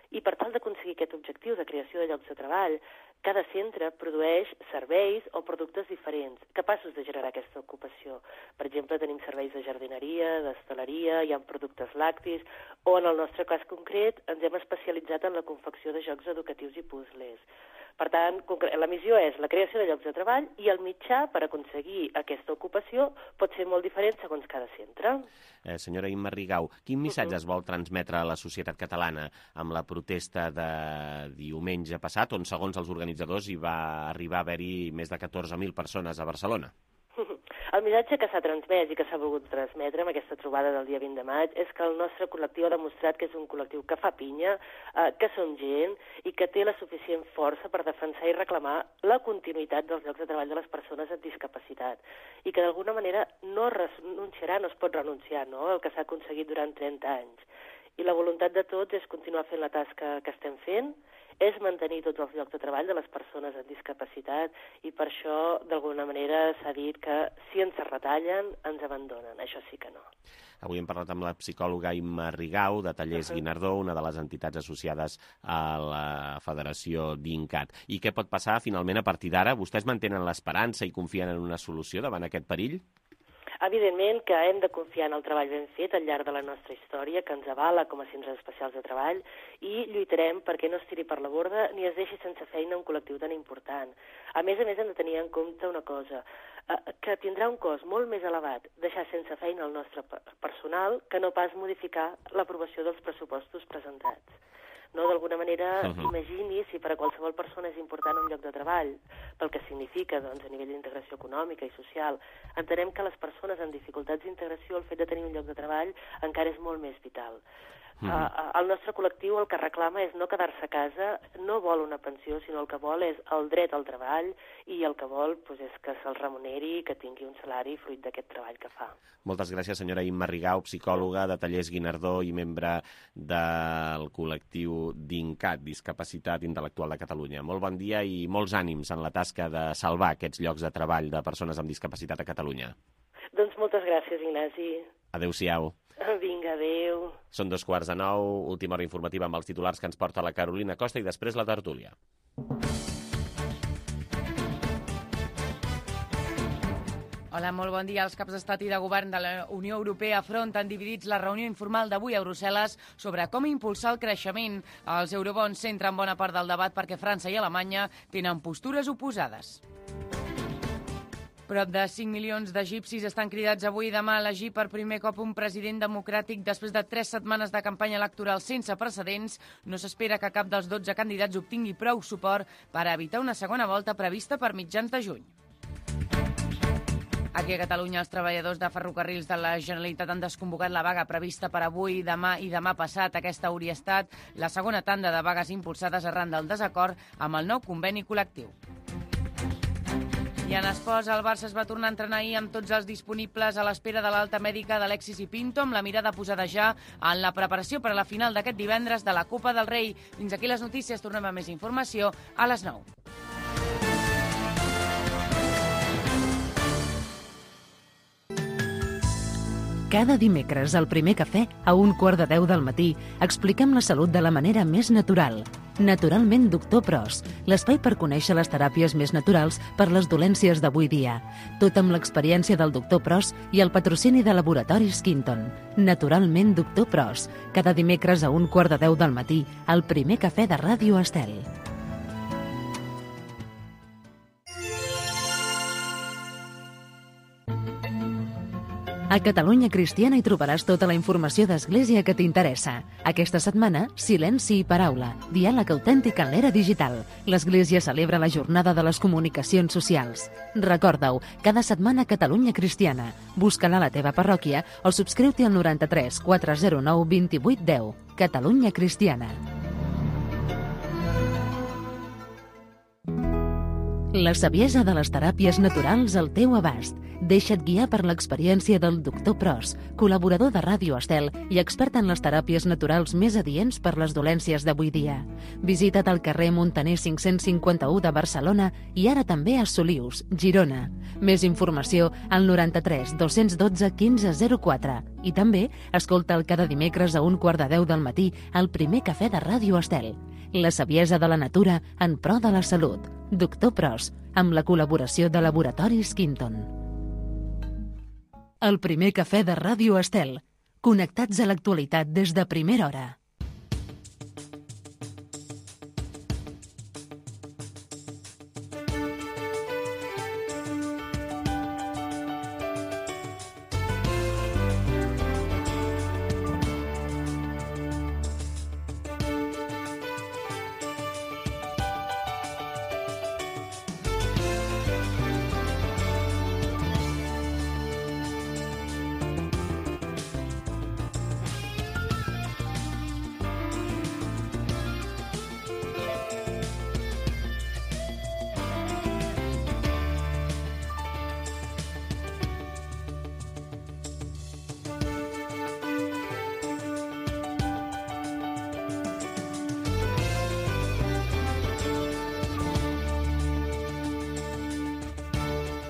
I per tal d'aconseguir aquest objectiu de creació de llocs de treball, cada centre produeix serveis o productes diferents, capaços de generar aquesta ocupació. Per exemple, tenim serveis de jardineria, d'hostaleria, hi ha productes lactis, o en el nostre cas concret ens hem especialitzat en la confecció de jocs educatius i puzzles. Per tant, la missió és la creació de llocs de treball i el mitjà per aconseguir aquesta ocupació pot ser molt diferent segons cada centre. Eh, senyora Imma Rigau, quin missatge es vol transmetre a la societat catalana amb la protesta de diumenge passat, on segons els organitzadors hi va arribar a haver-hi més de catorze mil persones a Barcelona? El missatge que s'ha transmès i que s'ha volgut transmetre amb aquesta trobada del dia vint de maig és que el nostre col·lectiu ha demostrat que és un col·lectiu que fa pinya, eh, que som gent i que té la suficient força per defensar i reclamar la continuïtat dels llocs de treball de les persones amb discapacitat i que d'alguna manera no renunciarà, no es pot renunciar, no?, el que s'ha aconseguit durant trenta anys. I la voluntat de tots és continuar fent la tasca que estem fent, és mantenir tots els llocs de treball de les persones amb discapacitat i per això, d'alguna manera, s'ha dit que si ens retallen, ens abandonen. Això sí que no. Avui hem parlat amb la psicòloga Imma Rigau, de Tallers Guinardó, una de les entitats associades a la Federació DINCAT. I què pot passar, finalment, a partir d'ara? Vostès mantenen l'esperança i confien en una solució davant aquest perill? Evidentment que hem de confiar en el treball ben fet al llarg de la nostra història, que ens avala com a centres especials de treball, i lluitarem perquè no es tiri per la borda ni es deixi sense feina un col·lectiu tan important. A més a més, hem de tenir en compte una cosa, que tindrà un cost molt més elevat deixar sense feina el nostre personal que no pas modificar l'aprovació dels pressupostos presentats. No, d'alguna manera, uh-huh. imagini si per a qualsevol persona és important un lloc de treball, pel que significa doncs, a nivell d'integració econòmica i social. Entenem que les persones amb dificultats d'integració, el fet de tenir un lloc de treball encara és molt més vital. Uh, uh, el nostre col·lectiu el que reclama és no quedar-se a casa, no vol una pensió, sinó el que vol és el dret al treball i el que vol doncs, és que se'l remuneri i que tingui un salari fruit d'aquest treball que fa. Moltes gràcies, senyora Imma Rigau, psicòloga de Tallers Guinardó i membre del col·lectiu DINCAT, Discapacitat Intel·lectual de Catalunya. Molt bon dia i molts ànims en la tasca de salvar aquests llocs de treball de persones amb discapacitat a Catalunya. Doncs moltes gràcies, Ignasi. Adéu-siau. Vinga, adéu. Són dos quarts de nou, última hora informativa amb els titulars que ens porta la Carolina Costa i després la tertúlia. Hola, molt bon dia. Els caps d'estat i de govern de la Unió Europea afronten dividits la reunió informal d'avui a Brussel·les sobre com impulsar el creixement. Els eurobons centren bona part del debat perquè França i Alemanya tenen postures oposades. Prop de cinc milions d'egipcis estan cridats avui i demà a elegir per primer cop un president democràtic després de tres setmanes de campanya electoral sense precedents. No s'espera que cap dels dotze candidats obtingui prou suport per evitar una segona volta prevista per mitjans de juny. Aquí a Catalunya, els treballadors de ferrocarrils de la Generalitat han desconvocat la vaga prevista per avui, demà i demà passat. Aquesta hauria estat la segona tanda de vagues impulsades arran del desacord amb el nou conveni col·lectiu. I en esports, el Barça es va tornar a entrenar ahir amb tots els disponibles a l'espera de l'alta mèdica d'Alexis i Pinto, amb la mirada posada ja en la preparació per a la final d'aquest divendres de la Copa del Rei. Fins aquí les notícies, tornem a més informació a les nou. Cada dimecres, al Primer Cafè, a un quart de deu del matí, expliquem la salut de la manera més natural. Naturalment Doctor Pros, l'espai per conèixer les teràpies més naturals per les dolències d'avui dia. Tot amb l'experiència del Doctor Pros i el patrocini de Laboratoris Quinton. Naturalment Doctor Pros, cada dimecres a un quart de deu del matí, al Primer Cafè de Ràdio Estel. A Catalunya Cristiana hi trobaràs tota la informació d'Església que t'interessa. Aquesta setmana, Silenci i Paraula, diàleg autèntic en l'era digital. L'Església celebra la jornada de les comunicacions socials. Recorda-ho, cada setmana Catalunya Cristiana. Busca-la a la teva parròquia o subscriu-t'hi al noranta-tres quatre zero nou vint vuit deu. Catalunya Cristiana. La saviesa de les teràpies naturals al teu abast. Deixa't guiar per l'experiència del Doctor Pros, col·laborador de Ràdio Estel i expert en les teràpies naturals més adients per les dolències d'avui dia. Visita't al carrer Montaner cinc-cents cinquanta-u de Barcelona i ara també a Solius, Girona. Més informació al noranta-tres dos-cents dotze quinze zero quatre. I també escolta'l cada dimecres a un quart de deu del matí al Primer Cafè de Ràdio Estel. La saviesa de la natura en pro de la salut. Doctor Pros, amb la col·laboració de Laboratoris Quinton. El Primer Cafè de Ràdio Estel. Connectats a l'actualitat des de primera hora.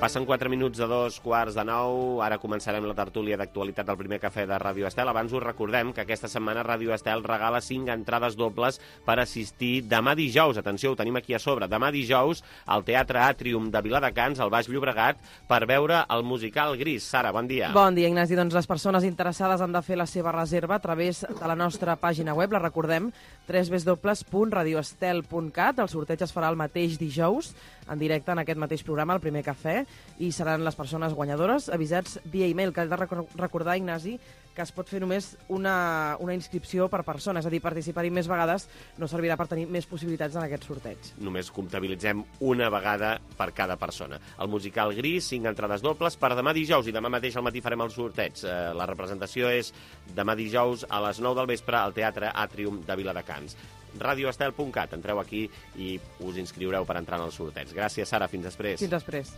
Passen quatre minuts de dos quarts de nou, ara començarem la tertúlia d'actualitat del primer cafè de Ràdio Estel. Abans us recordem que aquesta setmana Ràdio Estel regala cinc entrades dobles per assistir demà dijous, atenció, ho tenim aquí a sobre, demà dijous al Teatre Àtrium de Viladecans, al Baix Llobregat, per veure el musical Gris. Sara, bon dia. Bon dia, Ignasi. Doncs les persones interessades han de fer la seva reserva a través de la nostra pàgina web, la recordem, w w w punt radio estel punt cat. El sorteig es farà el mateix dijous, en directe en aquest mateix programa, el primer cafè, i seran les persones guanyadores avisats via e-mail, que he de recordar, Ignasi, que es pot fer només una, una inscripció per persona, és a dir, participar-hi més vegades no servirà per tenir més possibilitats en aquest sorteig. Només comptabilitzem una vegada per cada persona. El musical Gris, cinc entrades dobles per demà dijous, i demà mateix al matí farem el sorteig. Eh, la representació és demà dijous a les nou del vespre al Teatre Àtrium de Viladecans. radio estel punt cat, entreu aquí i us inscriureu per entrar en el sorteig. Gràcies, Sara, fins després. Fins després.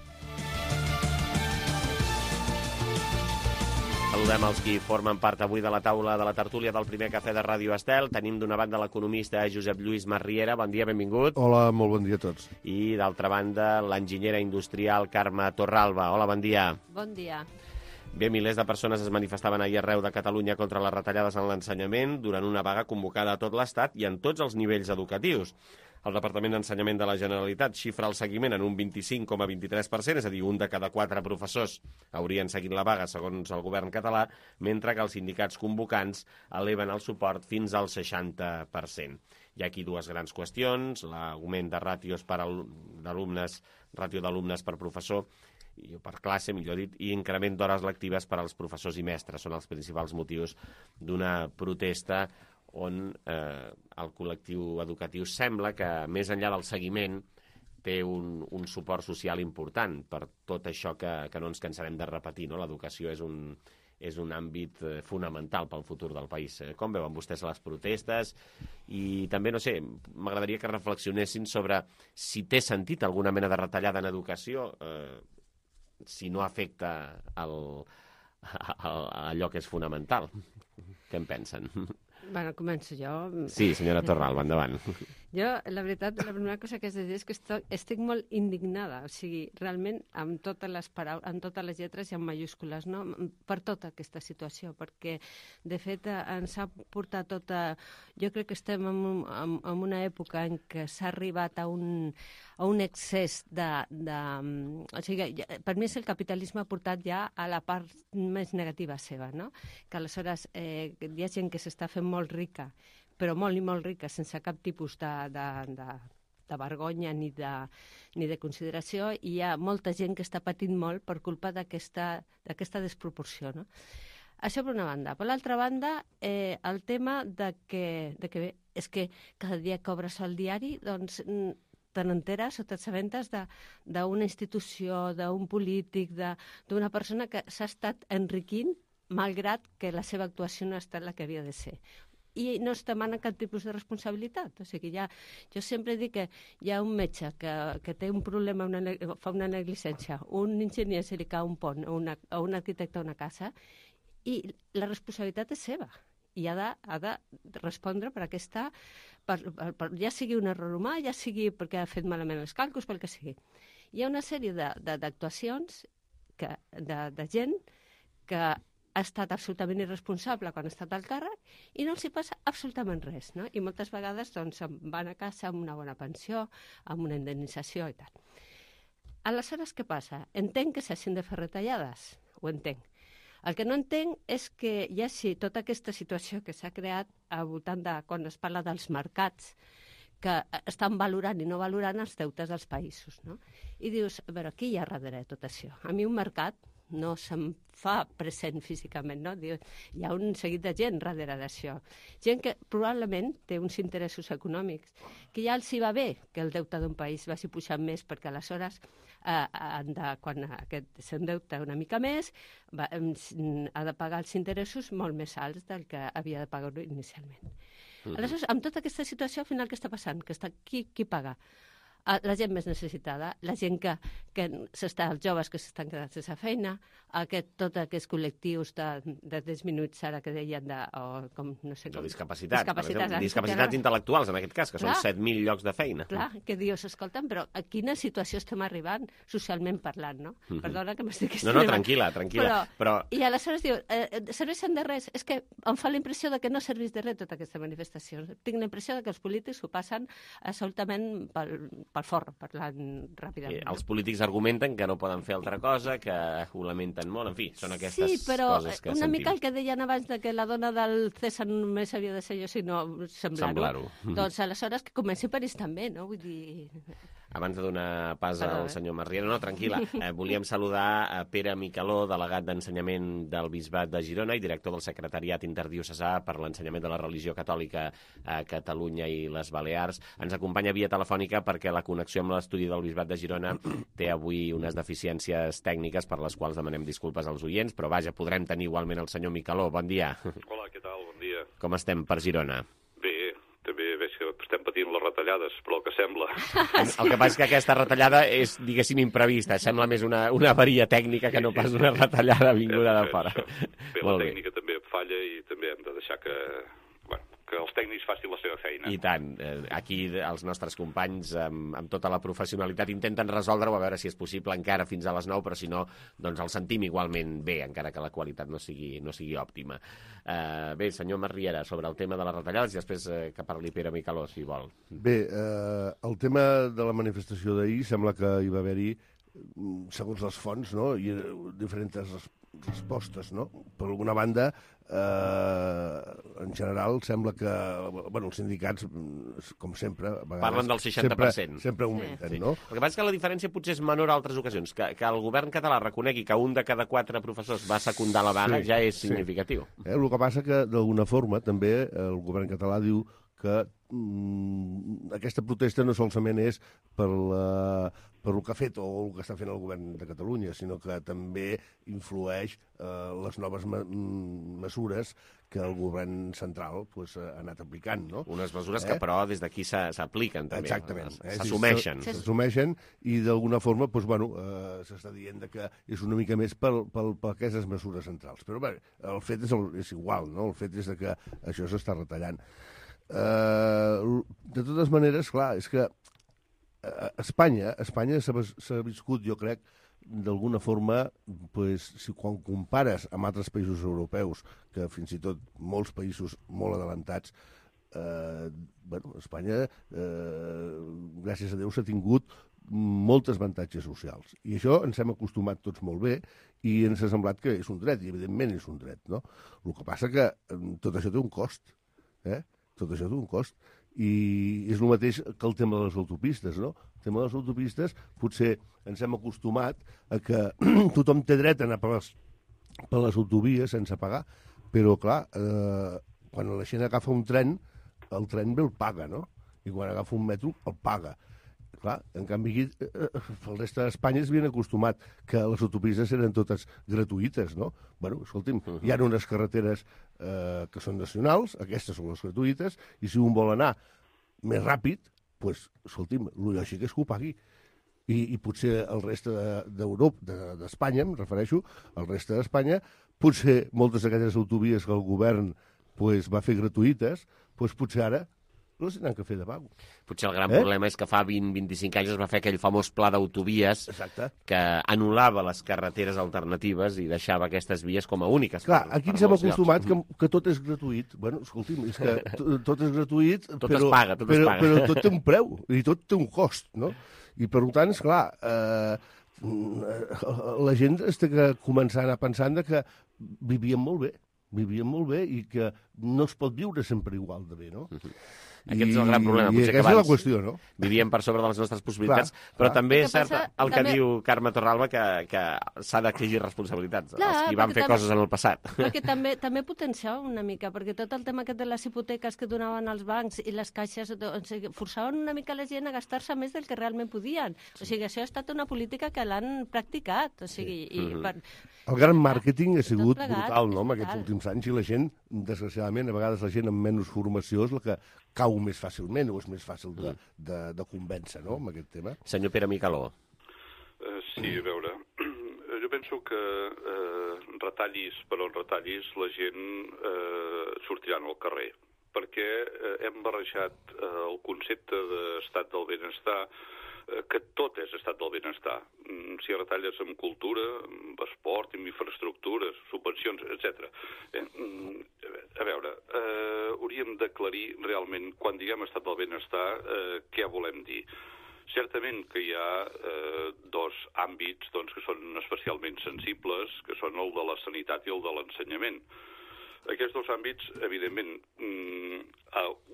Saludem els qui formen part avui de la taula de la tertúlia del primer cafè de Ràdio Estel. Tenim d'una banda l'economista Josep Lluís Masriera. Bon dia, benvingut. Hola, molt bon dia a tots. I d'altra banda, l'enginyera industrial Carme Torralba. Hola, bon dia. Bon dia. Bé, milers de persones es manifestaven ahir arreu de Catalunya contra les retallades en l'ensenyament durant una vaga convocada a tot l'Estat i en tots els nivells educatius. El Departament d'Ensenyament de la Generalitat xifra el seguiment en un vint-i-cinc coma vint-i-tres per cent, és a dir, un de cada quatre professors haurien seguit la vaga segons el govern català, mentre que els sindicats convocants eleven el suport fins al seixanta per cent. Hi ha aquí dues grans qüestions, l'augment de ràtios per alumnes, ràtio d'alumnes per professor, i per classe, millor dit, i increment d'hores lectives per als professors i mestres. Són els principals motius d'una protesta on eh, el col·lectiu educatiu sembla que, més enllà del seguiment, té un, un suport social important per tot això que, que no ens cansarem de repetir, no? L'educació és un, és un àmbit eh, fonamental pel futur del país. Com veuen vostès les protestes? I també, no sé, m'agradaria que reflexionessin sobre si té sentit alguna mena de retallada en educació, eh, si no afecta el, el, allò que és fonamental. Què en pensen? Bueno, començo jo. Sí, senyora Torralba, endavant. Jo, la veritat, la primera cosa que has de dir és que estic, estic molt indignada, o sigui, realment, amb totes les paraules, amb totes les lletres i amb majúscules, no? Per tota aquesta situació, perquè, de fet, ens ha portat tota... Jo crec que estem en, en, en una època en què s'ha arribat a un, a un excés de... de o sigui, per mi el capitalisme ha portat ja a la part més negativa seva, no? Que aleshores eh, hi ha gent que s'està fent molt rica, però molt i molt rica, sense cap tipus de, de, de, de vergonya ni de, ni de consideració, i hi ha molta gent que està patint molt per culpa d'aquesta desproporció, no? Això per una banda. Per l'altra banda, eh, el tema de que, de que bé, és que cada dia que obres el diari, doncs te n'enteres o t'assabentes d'una institució, d'un polític, d'una persona que s'ha estat enriquint malgrat que la seva actuació no ha estat la que havia de ser. I no es demana cap tipus de responsabilitat. O sigui, ja, jo sempre dic que hi ha un metge que, que té un problema, una, fa una negligència, un enginyer se li cau un pont, o, una, o un arquitecte a una casa, i la responsabilitat és seva. I ha de, ha de respondre per aquesta, per, per, per, ja sigui un error humà, ja sigui perquè ha fet malament els càlculs, pel que sigui. Hi ha una sèrie d'actuacions de, de, de gent que ha estat absolutament irresponsable quan ha estat al càrrec i no els hi passa absolutament res, no? I moltes vegades doncs, van a casa amb una bona pensió, amb una indemnització i tal. Aleshores, què passa? Entenc que s'hagin de fer retallades, ho entenc. El que no entenc és que hi hagi tota aquesta situació que s'ha creat al voltant de quan es parla dels mercats, que estan valorant i no valorant els deutes dels països, no? I dius, a veure, qui hi ha darrere de tot això? A mi un mercat no se'm fa present físicament, no? Hi ha un seguit de gent darrere d'això. Gent que probablement té uns interessos econòmics, que ja els hi va bé que el deute d'un país vagi pujant més, perquè aleshores, eh, de, quan aquest s'endeuta una mica més, va, ha de pagar els interessos molt més alts del que havia de pagar inicialment. Mm-hmm. Aleshores, amb tota aquesta situació, al final, què està passant? Que està, qui, qui paga? la gent més necessitada, la gent que, que s'està, els joves que s'estan quedant sense feina, aquest, tot aquests col·lectius de, de disminuïts ara que deien de, o com, no sé com... De discapacitat, discapacitats, exemple, discapacitats intel·lectuals, en aquest cas, que clar, són set mil llocs de feina. Clar, que dius, escolta'm, però a quina situació estem arribant, socialment parlant, no? Mm -hmm. Perdona que m'estic No, no, tranquil·la, tranquil·la. Però, però... I aleshores diu, eh, serveixen de res? És que em fa la impressió de que no serveix de res tota aquesta manifestació. Tinc la impressió de que els polítics ho passen absolutament pel, pel forn, parlant ràpidament. Eh, els polítics argumenten que no poden fer altra cosa, que ho lamenten molt, en fi, són aquestes sí, però coses que una sentim. mica el que deien abans de que la dona del César només havia de ser jo, sinó semblar-ho. Semblar-ho. Doncs aleshores que comenci per ells també, no? Vull dir... Abans de donar pas Perdó, al eh? senyor Marriera, no, tranquil·la, eh, volíem saludar a Pere Micaló, delegat d'Ensenyament del Bisbat de Girona i director del Secretariat Interdiocesà per l'Ensenyament de la Religió Catòlica a Catalunya i les Balears. Ens acompanya via telefònica perquè la connexió amb l'estudi del Bisbat de Girona té avui unes deficiències tècniques per les quals demanem disculpes als oients, però vaja, podrem tenir igualment el senyor Micaló. Bon dia. Hola, què tal? Bon dia. Com estem per Girona? Bé, també veig que estem patint les retallades, però el que sembla... El que passa és que aquesta retallada és, diguéssim, imprevista. Sembla més una, una avaria tècnica que no pas una retallada vinguda de fora. Bé, la tècnica també falla i també hem de deixar que... que els tècnics facin la seva feina. I tant. Aquí els nostres companys, amb, amb tota la professionalitat, intenten resoldre-ho, a veure si és possible encara fins a les nou, però si no, doncs el sentim igualment bé, encara que la qualitat no sigui, no sigui òptima. Uh, bé, senyor Marriera, sobre el tema de les retallades, i després uh, que parli Pere Micaló, si vol. Bé, uh, el tema de la manifestació d'ahir sembla que hi va haver-hi, segons les fonts, no?, i diferents res respostes, no? Per alguna banda, eh, en general, sembla que bueno, els sindicats, com sempre, a vegades... Parlen del seixanta per cent. Sempre, sempre augmenten, sí. No? El que passa és que la diferència potser és menor a altres ocasions. Que, que el govern català reconegui que un de cada quatre professors va secundar la vaga sí, ja és significatiu. Sí. Eh, el que passa que, d'alguna forma, també el govern català diu que mm, aquesta protesta no solament és per, la, per el que ha fet o el que està fent el govern de Catalunya, sinó que també influeix eh, les noves me mesures que el govern central pues, ha anat aplicant. No? Unes mesures eh? que, però, des d'aquí s'apliquen també. Exactament. S'assumeixen. Eh? S'assumeixen i, d'alguna forma, pues, bueno, eh, s'està dient que és una mica més per, per, per aquestes mesures centrals. Però bé, el fet és, el, és igual, no? El fet és que això s'està retallant. Uh, de totes maneres, clar, és que uh, Espanya, Espanya s'ha viscut, jo crec, d'alguna forma, pues, si quan compares amb altres països europeus, que fins i tot molts països molt adelantats, uh, bueno, Espanya, uh, gràcies a Déu, s'ha tingut molts avantatges socials. I això ens hem acostumat tots molt bé i ens ha semblat que és un dret, i evidentment és un dret, no? El que passa que tot això té un cost, eh? Tot això té un cost. I és el mateix que el tema de les autopistes, no? El tema de les autopistes, potser ens hem acostumat a que tothom té dret a anar per les, per les autovies sense pagar, però, clar, eh, quan la gent agafa un tren, el tren bé el paga, no? I quan agafa un metro, el paga. Clar, en canvi, aquí, eh, el reste d'Espanya es havien acostumat que les autopistes eren totes gratuïtes, no? Bueno, escolti'm, uh -huh. hi ha unes carreteres eh, que són nacionals, aquestes són les gratuïtes, i si un vol anar més ràpid, doncs, escolti'm, el lògic és que ho pagui. I, i potser el reste d'Europa, de, d'Espanya, em refereixo, el reste d'Espanya, potser moltes d'aquestes autovies que el govern pues, va fer gratuïtes, pues, potser ara no les tenen que fer de pago. Potser el gran eh? problema és que fa vint a vint-i-cinc anys es va fer aquell famós pla d'autovies que anul·lava les carreteres alternatives i deixava aquestes vies com a úniques. Clar, per, aquí per ens hem acostumat que, que tot és gratuït. Bueno, escolti'm, és que tot és gratuït, tot però, es paga, tot però, es paga. però tot té un preu i tot té un cost, no? I per tant, esclar, eh, la gent es té que començar a anar pensant que vivien molt bé, vivien molt bé i que no es pot viure sempre igual de bé, no? Aquest és el gran problema. I aquesta és la qüestió, no? Vivíem per sobre de les nostres possibilitats, clar, però clar. també és cert passa, el que també... diu Carme Torralba, que, que s'ha d'exigir responsabilitats clar, als qui van fer també, coses en el passat. Perquè també, també potenciava una mica, perquè tot el tema aquest de les hipoteques que donaven els bancs i les caixes, o sigui, forçaven una mica la gent a gastar-se més del que realment podien. O sigui, això ha estat una política que l'han practicat. O sigui, sí. i, per... El gran màrqueting ha sigut plegat, brutal, no?, en aquests últims anys, i la gent, desgraciadament, a vegades la gent amb menys formació és la que cau cau més fàcilment o és més fàcil de, de, de convèncer, no?, amb aquest tema. Senyor Pere Micaló. Uh, sí, a veure, jo penso que eh, retallis per on retallis la gent eh, sortiran al carrer, perquè eh, hem barrejat eh, el concepte d'estat del benestar, eh, que tot és estat del benestar. Mm, si retalles en cultura, en esport, en infraestructures, subvencions, etcètera. Eh, a veure, eh, hauríem d'aclarir realment, quan diguem estat del benestar, eh, què volem dir. Certament que hi ha eh, dos àmbits doncs, que són especialment sensibles, que són el de la sanitat i el de l'ensenyament. Aquests dos àmbits, evidentment,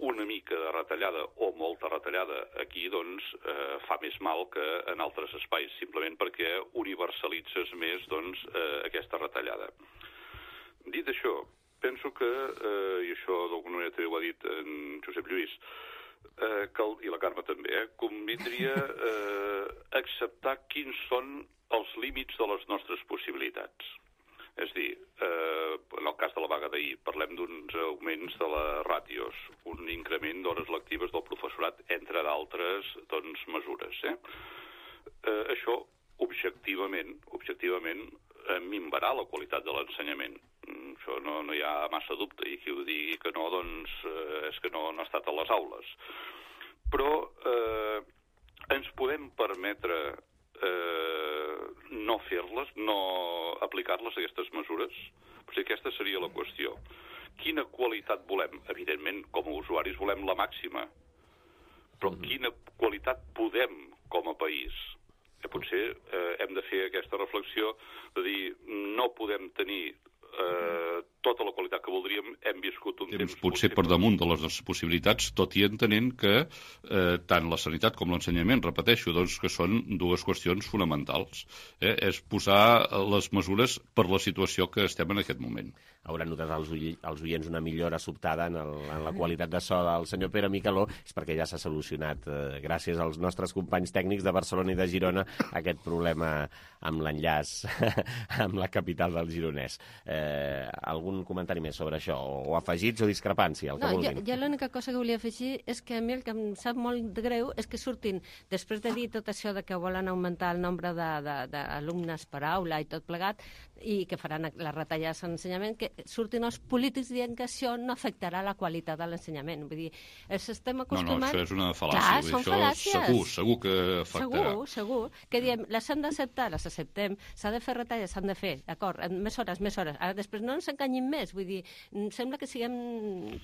una mica de retallada o molta retallada aquí doncs, eh, fa més mal que en altres espais, simplement perquè universalitzes més doncs, eh, aquesta retallada. Dit això, penso que, eh, i això d'alguna manera també ho ha dit en Josep Lluís, eh, que el, i la Carme també, eh, convindria eh, acceptar quins són els límits de les nostres possibilitats. És a dir, eh, en el cas de la vaga d'ahir, parlem d'uns augments de les ràtios, un increment d'hores lectives del professorat, entre d'altres doncs, mesures. Eh? Eh, això, objectivament, objectivament eh, minvarà la qualitat de l'ensenyament. Mm, això no, no hi ha massa dubte, i qui ho digui que no, doncs eh, és que no, no ha estat a les aules. Però eh, ens podem permetre Eh, no fer-les, no aplicar-les, aquestes mesures? O sigui, aquesta seria la qüestió. Quina qualitat volem? Evidentment, com a usuaris volem la màxima. Però quina qualitat podem com a país? Eh, potser eh, hem de fer aquesta reflexió de dir, no podem tenir eh, tota la qualitat que voldríem, hem viscut un temps... Potser per damunt de les nostres possibilitats, tot i entenent que eh, tant la sanitat com l'ensenyament, repeteixo, doncs que són dues qüestions fonamentals. Eh? És posar les mesures per la situació que estem en aquest moment. Hauran notat els, els oients una millora sobtada en, el, en la qualitat de so del senyor Pere Micaló, és perquè ja s'ha solucionat, eh, gràcies als nostres companys tècnics de Barcelona i de Girona, aquest problema amb l'enllaç amb la capital del gironès. Eh, algun comentari més sobre això? O afegits o discrepància, el que no, vulguin. Jo, jo l'única cosa que volia afegir és que a mi el que em sap molt de greu és que surtin, després de dir tot això de que volen augmentar el nombre d'alumnes per aula i tot plegat, i que faran les retallades en l'ensenyament, que surtin els polítics dient que això no afectarà la qualitat de l'ensenyament. Vull dir, ens estem acostumant... No, no, això és una fal·làcia. Clar, són això fal·làcies. Segur, segur que afectarà. Segur, segur. Que diem, les hem d'acceptar, les acceptem, s'ha de fer retalles, s'han de fer, d'acord, més hores, més hores. Ara després no ens enganyim més, vull dir, sembla que siguem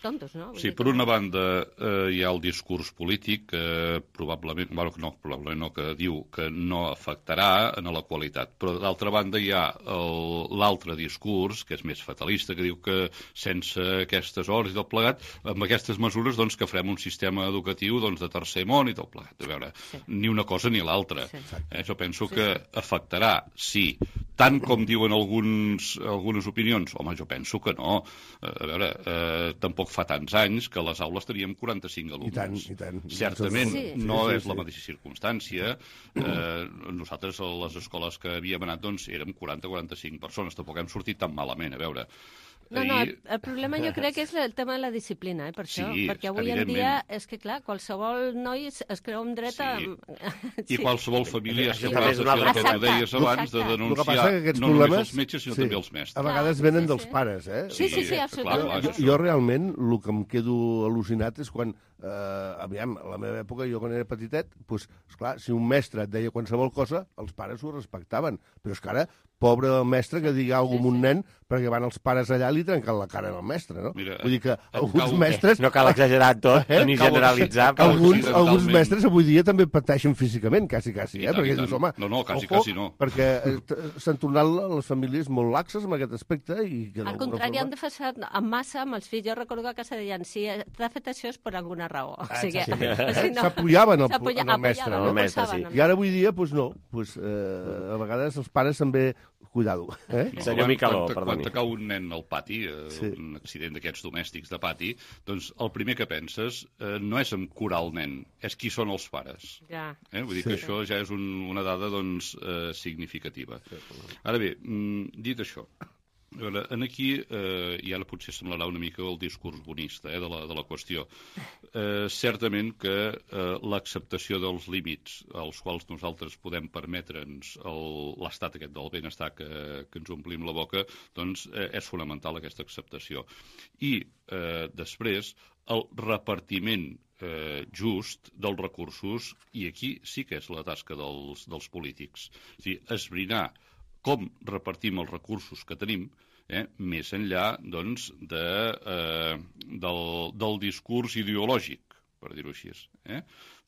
tontos, no? Vull sí, dir, per una banda eh, hi ha el discurs polític que eh, probablement, bueno, no, probablement no, que diu que no afectarà en la qualitat, però d'altra banda hi ha l'altre discurs, que és més fatalista, que diu que sense aquestes hores i tot plegat, amb aquestes mesures doncs, que farem un sistema educatiu doncs, de tercer món i tot plegat. A veure, sí. Ni una cosa ni l'altra. Sí. Eh, jo penso sí, que sí. afectarà, sí, tant com diuen alguns, algunes opinions. Home, jo penso que no. A veure, eh, tampoc fa tants anys que a les aules teníem quaranta-cinc alumnes. I tant, i tant. Certament sí. no sí, sí, és la mateixa circumstància. Eh, nosaltres a les escoles que havíem anat doncs, érem quaranta a quaranta-cinc persones. Tampoc hem sortit tan malament, a veure. No, no, el, el problema jo crec que és el tema de la disciplina, eh, per això, sí, perquè avui en dia és que, clar, qualsevol noi es, es creu un dret a... Sí. sí. I qualsevol família és sí. capaç de fer el que tu deies abans, de denunciar que no problemes, només els metges, sinó sí, també els mestres. A vegades venen sí, dels sí. pares, eh? Sí, sí, sí, absolutament. Clar, clar, jo, jo realment, el que em quedo al·lucinat és quan, eh, aviam, a la meva època, jo quan era petitet, doncs, esclar, si un mestre et deia qualsevol cosa, els pares ho respectaven. Però és que ara, pobre mestre que digui alguna cosa amb un nen, perquè van els pares allà i li trenquen la cara al mestre, no? Mira, vull dir que alguns cal... mestres... No cal exagerar tot, eh? ni generalitzar. Però... Alguns, alguns mestres avui dia també pateixen físicament, quasi, quasi, eh? tant, perquè dius, home, no, no, quasi, ojo, quasi no. perquè s'han tornat les famílies molt laxes en aquest aspecte. I que al contrari, forma... han de fer en massa amb els fills. Jo recordo que a casa deien, si t'ha fet això és per alguna raó. Ah, o sigui, sí. si no... S'apoyaven en Apoya, el mestre. No? El mestre sí. I ara avui dia, doncs no. Pues, eh, a vegades els pares també... Cuidado. Eh? No, Senyor Micaló, quan, perdoni. Quan cau un nen al pati, eh, sí. un accident d'aquests domèstics de pati, doncs el primer que penses eh, no és en curar el nen, és qui són els pares. Ja. Eh? Vull dir sí. que això ja és un, una dada doncs, eh, significativa. Ara bé, mm, dit això, A veure, en aquí, eh, i ara potser semblarà una mica el discurs bonista eh, de, la, de la qüestió, eh, certament que eh, l'acceptació dels límits als quals nosaltres podem permetre'ns l'estat aquest del benestar que, que ens omplim la boca, doncs eh, és fonamental aquesta acceptació. I eh, després el repartiment eh, just dels recursos, i aquí sí que és la tasca dels, dels polítics. És a dir, esbrinar com repartim els recursos que tenim, eh, més enllà doncs, de, eh, del, del discurs ideològic, per dir-ho així. Eh?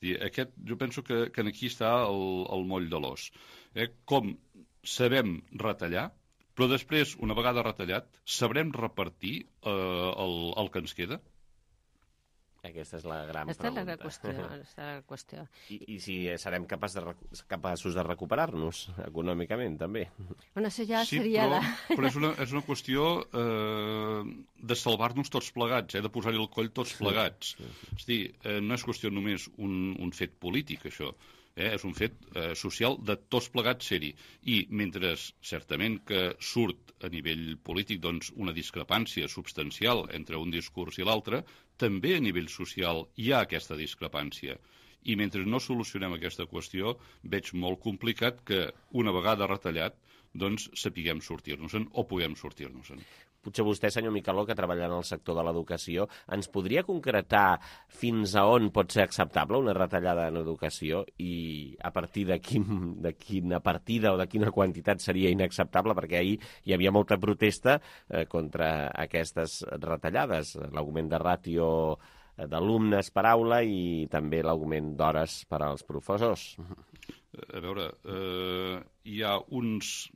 Dir, aquest, jo penso que, que aquí està el, el moll de l'os. Eh? Com sabem retallar, però després, una vegada retallat, sabrem repartir eh, el, el que ens queda? Aquesta és la gran Esta pregunta. És la qüestió. Esta és la qüestió. I, I si serem capaç de, capaços de recuperar-nos econòmicament, també. Bueno, això ja sí, seria... però, la... però és, una, és una qüestió eh, de salvar-nos tots plegats, eh, de posar-hi el coll tots plegats. Sí, sí, sí. És a dir, eh, no és qüestió només un, un fet polític, això. Eh, és un fet eh, social de tots plegats ser-hi. I mentre certament que surt a nivell polític doncs, una discrepància substancial entre un discurs i l'altre, també a nivell social hi ha aquesta discrepància. I mentre no solucionem aquesta qüestió, veig molt complicat que una vegada retallat doncs sapiguem sortir-nos-en o puguem sortir-nos-en. Potser vostè, senyor Micaló, que treballa en el sector de l'educació, ens podria concretar fins a on pot ser acceptable una retallada en educació i a partir de, quin, de quina partida o de quina quantitat seria inacceptable? Perquè ahir hi havia molta protesta eh, contra aquestes retallades, l'augment de ràtio d'alumnes per aula i també l'augment d'hores per als professors. A veure, eh, hi ha uns...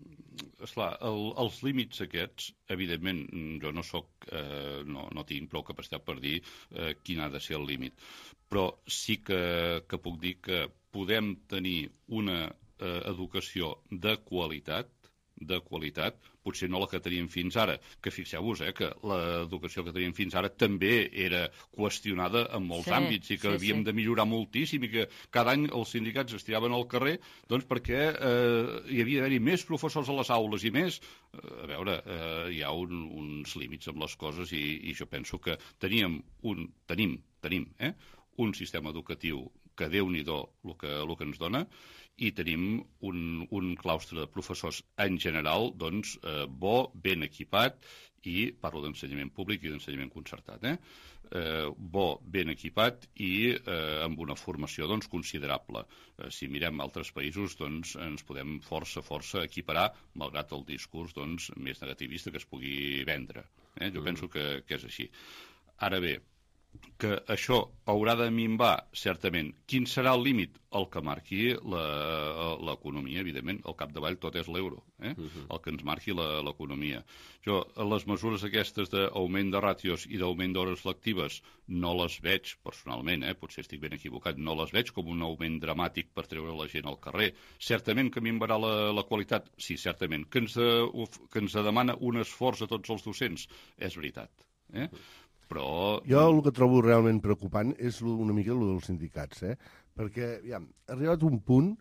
Esclar, el, els límits aquests, evidentment, jo no soc, eh, no, no tinc prou capacitat per dir eh, quin ha de ser el límit, però sí que, que puc dir que podem tenir una eh, educació de qualitat, de qualitat, potser no la que teníem fins ara, que fixeu-vos eh, que l'educació que teníem fins ara també era qüestionada en molts sí, àmbits i que sí, havíem sí. de millorar moltíssim i que cada any els sindicats es tiraven al carrer doncs perquè eh, hi havia d'haver-hi més professors a les aules i més. Eh, a veure, eh, hi ha un, uns límits amb les coses i, i jo penso que teníem un, tenim, tenim eh, un sistema educatiu que Déu-n'hi-do el que, el que ens dona, i tenim un, un claustre de professors en general doncs, eh, bo, ben equipat, i parlo d'ensenyament públic i d'ensenyament concertat, eh? Eh, bo, ben equipat i eh, amb una formació doncs, considerable. Eh, si mirem altres països, doncs, ens podem força, força equiparar, malgrat el discurs doncs, més negativista que es pugui vendre. Eh? Jo mm. penso que, que és així. Ara bé, que això haurà de minvar, certament. Quin serà el límit? El que marqui l'economia, evidentment. Al capdavall tot és l'euro, eh? Uh-huh. El que ens marqui l'economia. Jo, les mesures aquestes d'augment de ràtios i d'augment d'hores lectives no les veig, personalment, eh? Potser estic ben equivocat, no les veig com un augment dramàtic per treure la gent al carrer. Certament que minvarà la, la qualitat? Sí, certament. Que ens, de, que ens demana un esforç a tots els docents? És veritat, eh? Però... Jo el que trobo realment preocupant és una mica el dels sindicats, eh? Perquè ja, ha arribat un punt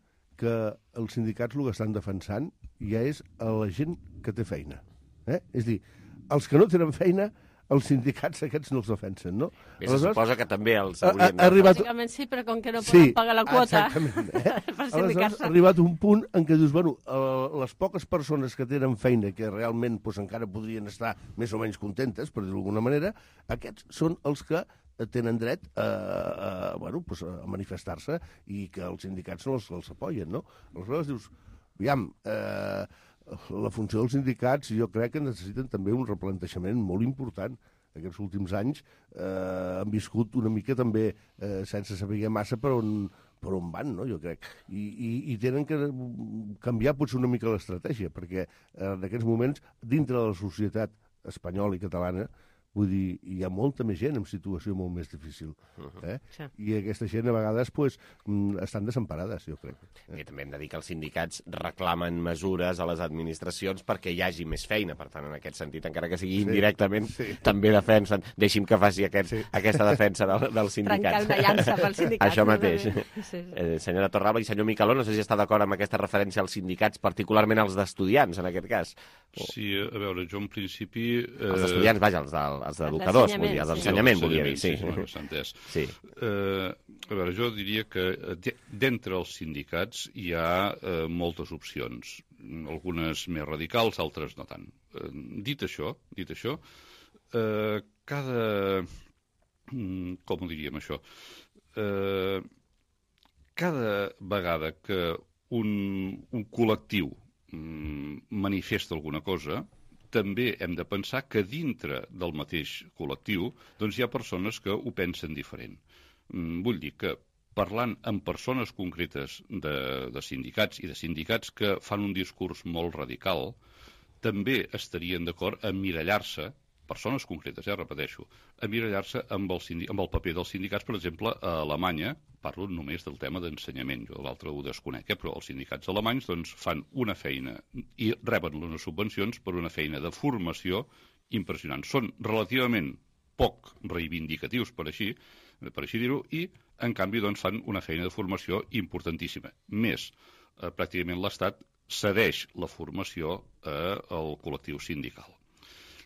que els sindicats el que estan defensant ja és a la gent que té feina. Eh? És a dir, els que no tenen feina, els sindicats aquests no els defensen, no? Bé, se suposa que també els haurien de... Arribat... Bàsicament sí, però com que no poden sí, pagar la quota eh? per sindicar-se. Ha arribat un punt en què dius, bueno, les poques persones que tenen feina, que realment pues, encara podrien estar més o menys contentes, per dir-ho d'alguna manera, aquests són els que tenen dret a, a, bueno, pues, a manifestar-se i que els sindicats no els, els apoyen, no? Aleshores dius, aviam, eh, la funció dels sindicats jo crec que necessiten també un replantejament molt important. Aquests últims anys eh, han viscut una mica també eh, sense saber massa per on, per on van, no? Jo crec. I, i, i tenen que canviar potser una mica l'estratègia, perquè eh, en aquests moments, dintre de la societat espanyola i catalana, Vull dir, hi ha molta més gent en situació molt més difícil. Eh? Sí. I aquesta gent a vegades pues, estan desemparades, jo crec. I també hem de dir que els sindicats reclamen mesures a les administracions perquè hi hagi més feina. Per tant, en aquest sentit, encara que sigui indirectament, sí, sí. també defensen. Deixi'm que faci aquest, sí. aquesta defensa del, dels sindicats. Trencar una llança pels sindicats. Això mateix. Sí, sí. Eh, senyora Torralba i senyor Micaló, no sé si està d'acord amb aquesta referència als sindicats, particularment els d'estudiants, en aquest cas. O... Sí, a veure, jo en principi... Eh... Els estudiants, vaja, els, de, els d'educadors, vull dir, els d'ensenyament, sí. volia dir, sí. Sí, sí, s'ha entès. Sí. Eh, a veure, jo diria que d'entre els sindicats hi ha eh, moltes opcions, algunes més radicals, altres no tant. Eh, dit això, dit això, eh, cada... com ho diríem, això? Eh, cada vegada que un, un col·lectiu manifesta alguna cosa, també hem de pensar que dintre del mateix col·lectiu doncs hi ha persones que ho pensen diferent. Vull dir que parlant amb persones concretes de, de sindicats i de sindicats que fan un discurs molt radical, també estarien d'acord a mirallar-se, persones concretes, eh, repeteixo, a mirallar-se amb, amb el paper dels sindicats, per exemple, a Alemanya, parlo només del tema d'ensenyament, jo l'altre ho desconec, eh, però els sindicats alemanys doncs, fan una feina i reben unes subvencions per una feina de formació impressionant. Són relativament poc reivindicatius, per així, per així dir-ho, i en canvi doncs, fan una feina de formació importantíssima. Més, eh, pràcticament l'Estat cedeix la formació eh, al col·lectiu sindical.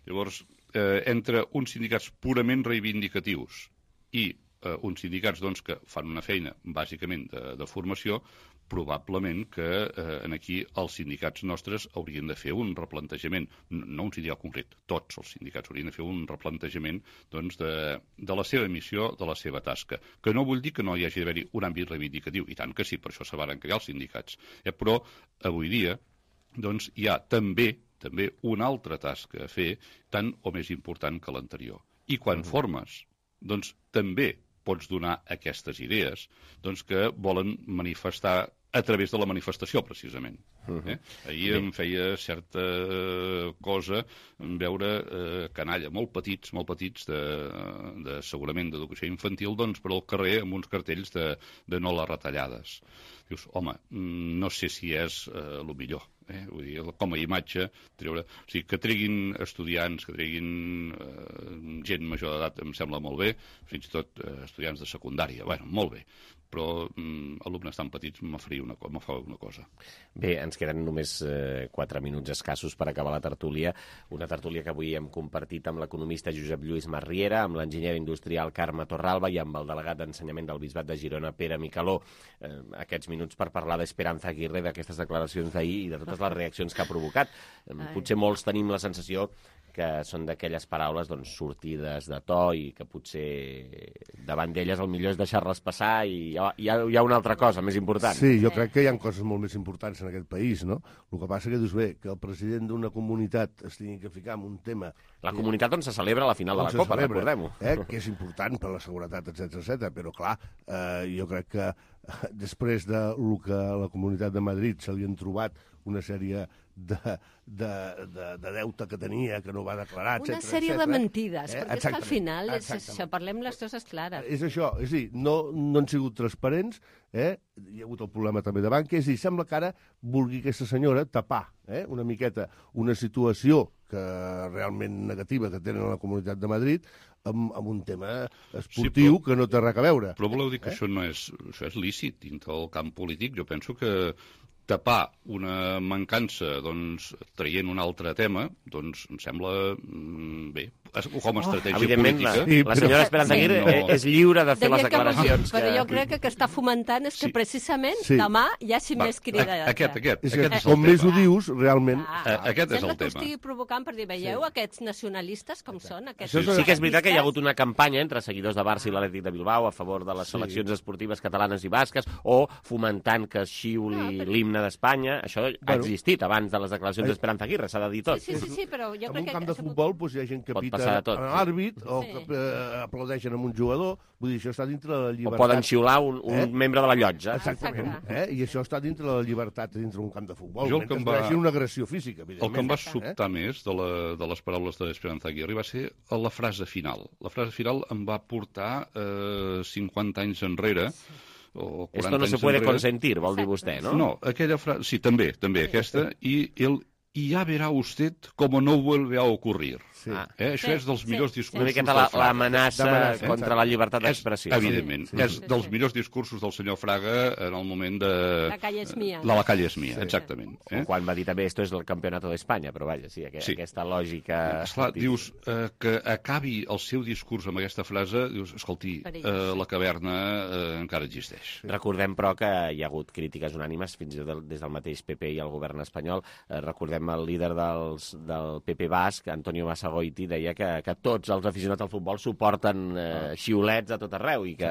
Llavors, eh, entre uns sindicats purament reivindicatius i eh, uns sindicats doncs, que fan una feina bàsicament de, de formació, probablement que eh, en aquí els sindicats nostres haurien de fer un replantejament, no un sindicat concret, tots els sindicats haurien de fer un replantejament doncs, de, de la seva missió, de la seva tasca, que no vull dir que no hi hagi d'haver-hi un àmbit reivindicatiu, i tant que sí, per això se van crear els sindicats, eh, però avui dia doncs, hi ha també també una altra tasca a fer, tant o més important que l'anterior. I quan mm. formes, doncs també pots donar aquestes idees doncs, que volen manifestar a través de la manifestació, precisament. Uh-huh. eh? Ahir Bé. em feia certa cosa veure eh, canalla molt petits, molt petits, de, de segurament d'educació infantil, doncs, per al carrer amb uns cartells de, de no les retallades. Dius, home, no sé si és eh, el millor. Eh? Vull dir, com a imatge, treure... O sigui, que treguin estudiants, que treguin eh, gent major d'edat, em sembla molt bé, fins i tot eh, estudiants de secundària, bueno, molt bé, però mm, alumnes tan petits me faria una, me fa una cosa. Bé, ens queden només eh, quatre minuts escassos per acabar la tertúlia, una tertúlia que avui hem compartit amb l'economista Josep Lluís Masriera, amb l'enginyer industrial Carme Torralba i amb el delegat d'ensenyament del Bisbat de Girona, Pere Micaló. Eh, aquests minuts per parlar d'Esperanza Aguirre, d'aquestes declaracions d'ahir i de totes les reaccions que ha provocat. Potser molts tenim la sensació que són d'aquelles paraules doncs, sortides de to i que potser davant d'elles el millor és deixar-les passar i hi ha, hi, ha, hi ha una altra cosa més important. Sí, jo crec que hi ha coses molt més importants en aquest país, no? El que passa que dius, bé, que el president d'una comunitat es tingui que ficar en un tema... La comunitat on se celebra la final de la Copa, recordem-ho. Eh, que és important per la seguretat, etcètera, etcètera. Però, clar, eh, jo crec que eh, després de lo que a la Comunitat de Madrid se li han trobat una sèrie de, de, de, de deute que tenia, que no va declarar, etcètera. Una sèrie etcètera. de mentides, eh? perquè és que al final és exactament. això, parlem les coses clares. És això, és a dir, no, no han sigut transparents, eh? Hi ha hagut el problema també de banca, és a dir, sembla que ara vulgui aquesta senyora tapar eh? una miqueta una situació que realment negativa que tenen a la Comunitat de Madrid amb, amb un tema esportiu sí, però, que no té res a veure. Però voleu dir que eh? això no és, això és lícit dintre del camp polític? Jo penso que tapar una mancança doncs, traient un altre tema, doncs em sembla mm, bé, com a estratègia oh, política. La, la senyora Esperanza Aguirre sí, no. és lliure de fer Deia les declaracions. Que, però jo crec que que està fomentant és que sí. precisament sí. demà hi hagi Va, més crida. Aquest, aquest, és aquest és com més ho dius, realment... Ah, aquest és el tema. Sembla que ho estigui provocant per dir, veieu, sí. aquests nacionalistes com Exacte. són? Aquests sí, sí que és veritat que hi ha hagut una campanya entre seguidors de Barça i l'Atlètic de Bilbao a favor de les seleccions sí. esportives catalanes i basques o fomentant que es xiuli no, però... l'himne d'Espanya. Espanya, això ha Bueno. existit abans de les declaracions d'Esperanza Aguirre, s'ha de dir tot. Sí, sí, sí, però jo En crec un que... camp de futbol doncs, hi ha gent que Pot pita passar de tot. a l'àrbit o Sí. que eh, aplaudeixen amb un jugador, vull dir, això està dintre de la O llibertat. poden xiular un, un Eh? membre de la llotja. Exactament, eh? I això està dintre de la llibertat dintre d'un camp de futbol, Jo el que mentre em no va- hi hagi una agressió física, El evidentment. que em va eh? sobtar més de, la, de les paraules d'Esperanza Aguirre va ser la frase final. La frase final em va portar eh, cinquanta anys enrere, o quaranta Esto no se anys puede enrere. consentir, vol dir vostè, no? No, aquella frase... Sí, també, també aquesta. I el y ya verá usted cómo no vuelve a ocurrir. Sí. Ah. Eh? Això Sí, és dels sí, millors sí. discursos Una miqueta del la- Fraga. l'amenaça D'amenaça, contra la llibertat d'expressió. És, evidentment, Sí. és Sí, dels sí. millors discursos del senyor Fraga en el moment de... La calle és mia. La, la calle és mia, exactament. Eh? Eh? Quan va dir també esto és el campionato d'Espanya, però vaja, sí, aqu Sí. aquesta lògica... Esclar, dius eh, que acabi el seu discurs amb aquesta frase, dius, escolti, eh, la caverna eh, encara existeix. Recordem, però, que hi ha hagut crítiques unànimes, fins i tot des del mateix P P i el govern espanyol. Eh, recordem el líder dels, del P P basc, Antonio Basagoiti, deia que, que tots els aficionats al futbol suporten eh, xiulets a tot arreu i que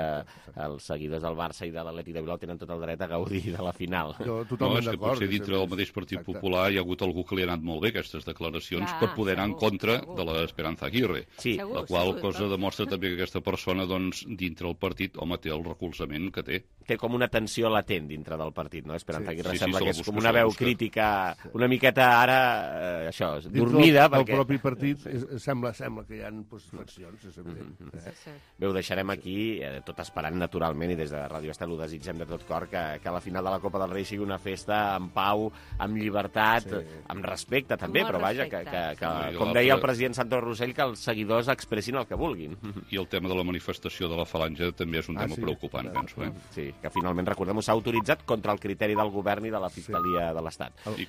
els seguidors del Barça i de l'Atlètic de Bilbao tenen tot el dret a gaudir de la final. Jo No, totalment és que d'acord. potser dintre del mateix Partit Exacte. Popular hi ha hagut algú que li ha anat molt bé aquestes declaracions Clar, per poder anar en segur, contra segur. de l'Esperanza Aguirre. Sí, Segur, La qual segur, cosa però- demostra també que aquesta persona, doncs, dintre el partit, home, té el recolzament que té. té com una tensió latent dintre del partit, no? Esperanza Sí. Aguirre Sí, sí, sembla se que la és busca, com se una la veu busca. crítica una miqueta ara, eh, això, Dintre dormida, del, perquè... del propi partit és, sembla, sembla que hi ha doncs, fraccions, és evident. Mm-hmm. Eh? Sí, sí. Bé, ho deixarem aquí, eh, tot esperant naturalment, i des de Ràdio Estel ho desitgem de tot cor, que, que la final de la Copa del Rei sigui una festa amb pau, amb llibertat, Sí. amb respecte també, Amb molt però vaja, que, respecte. que, que Sí, com l'altre- deia el president Santos Rossell, que els seguidors expressin el que vulguin. I el tema de la manifestació de la falange també és un Ah, tema sí. preocupant, Clar, penso. Eh? Sí, que finalment, recordem-ho, s'ha autoritzat contra el criteri del govern i de la Fiscalia de l'Estat. I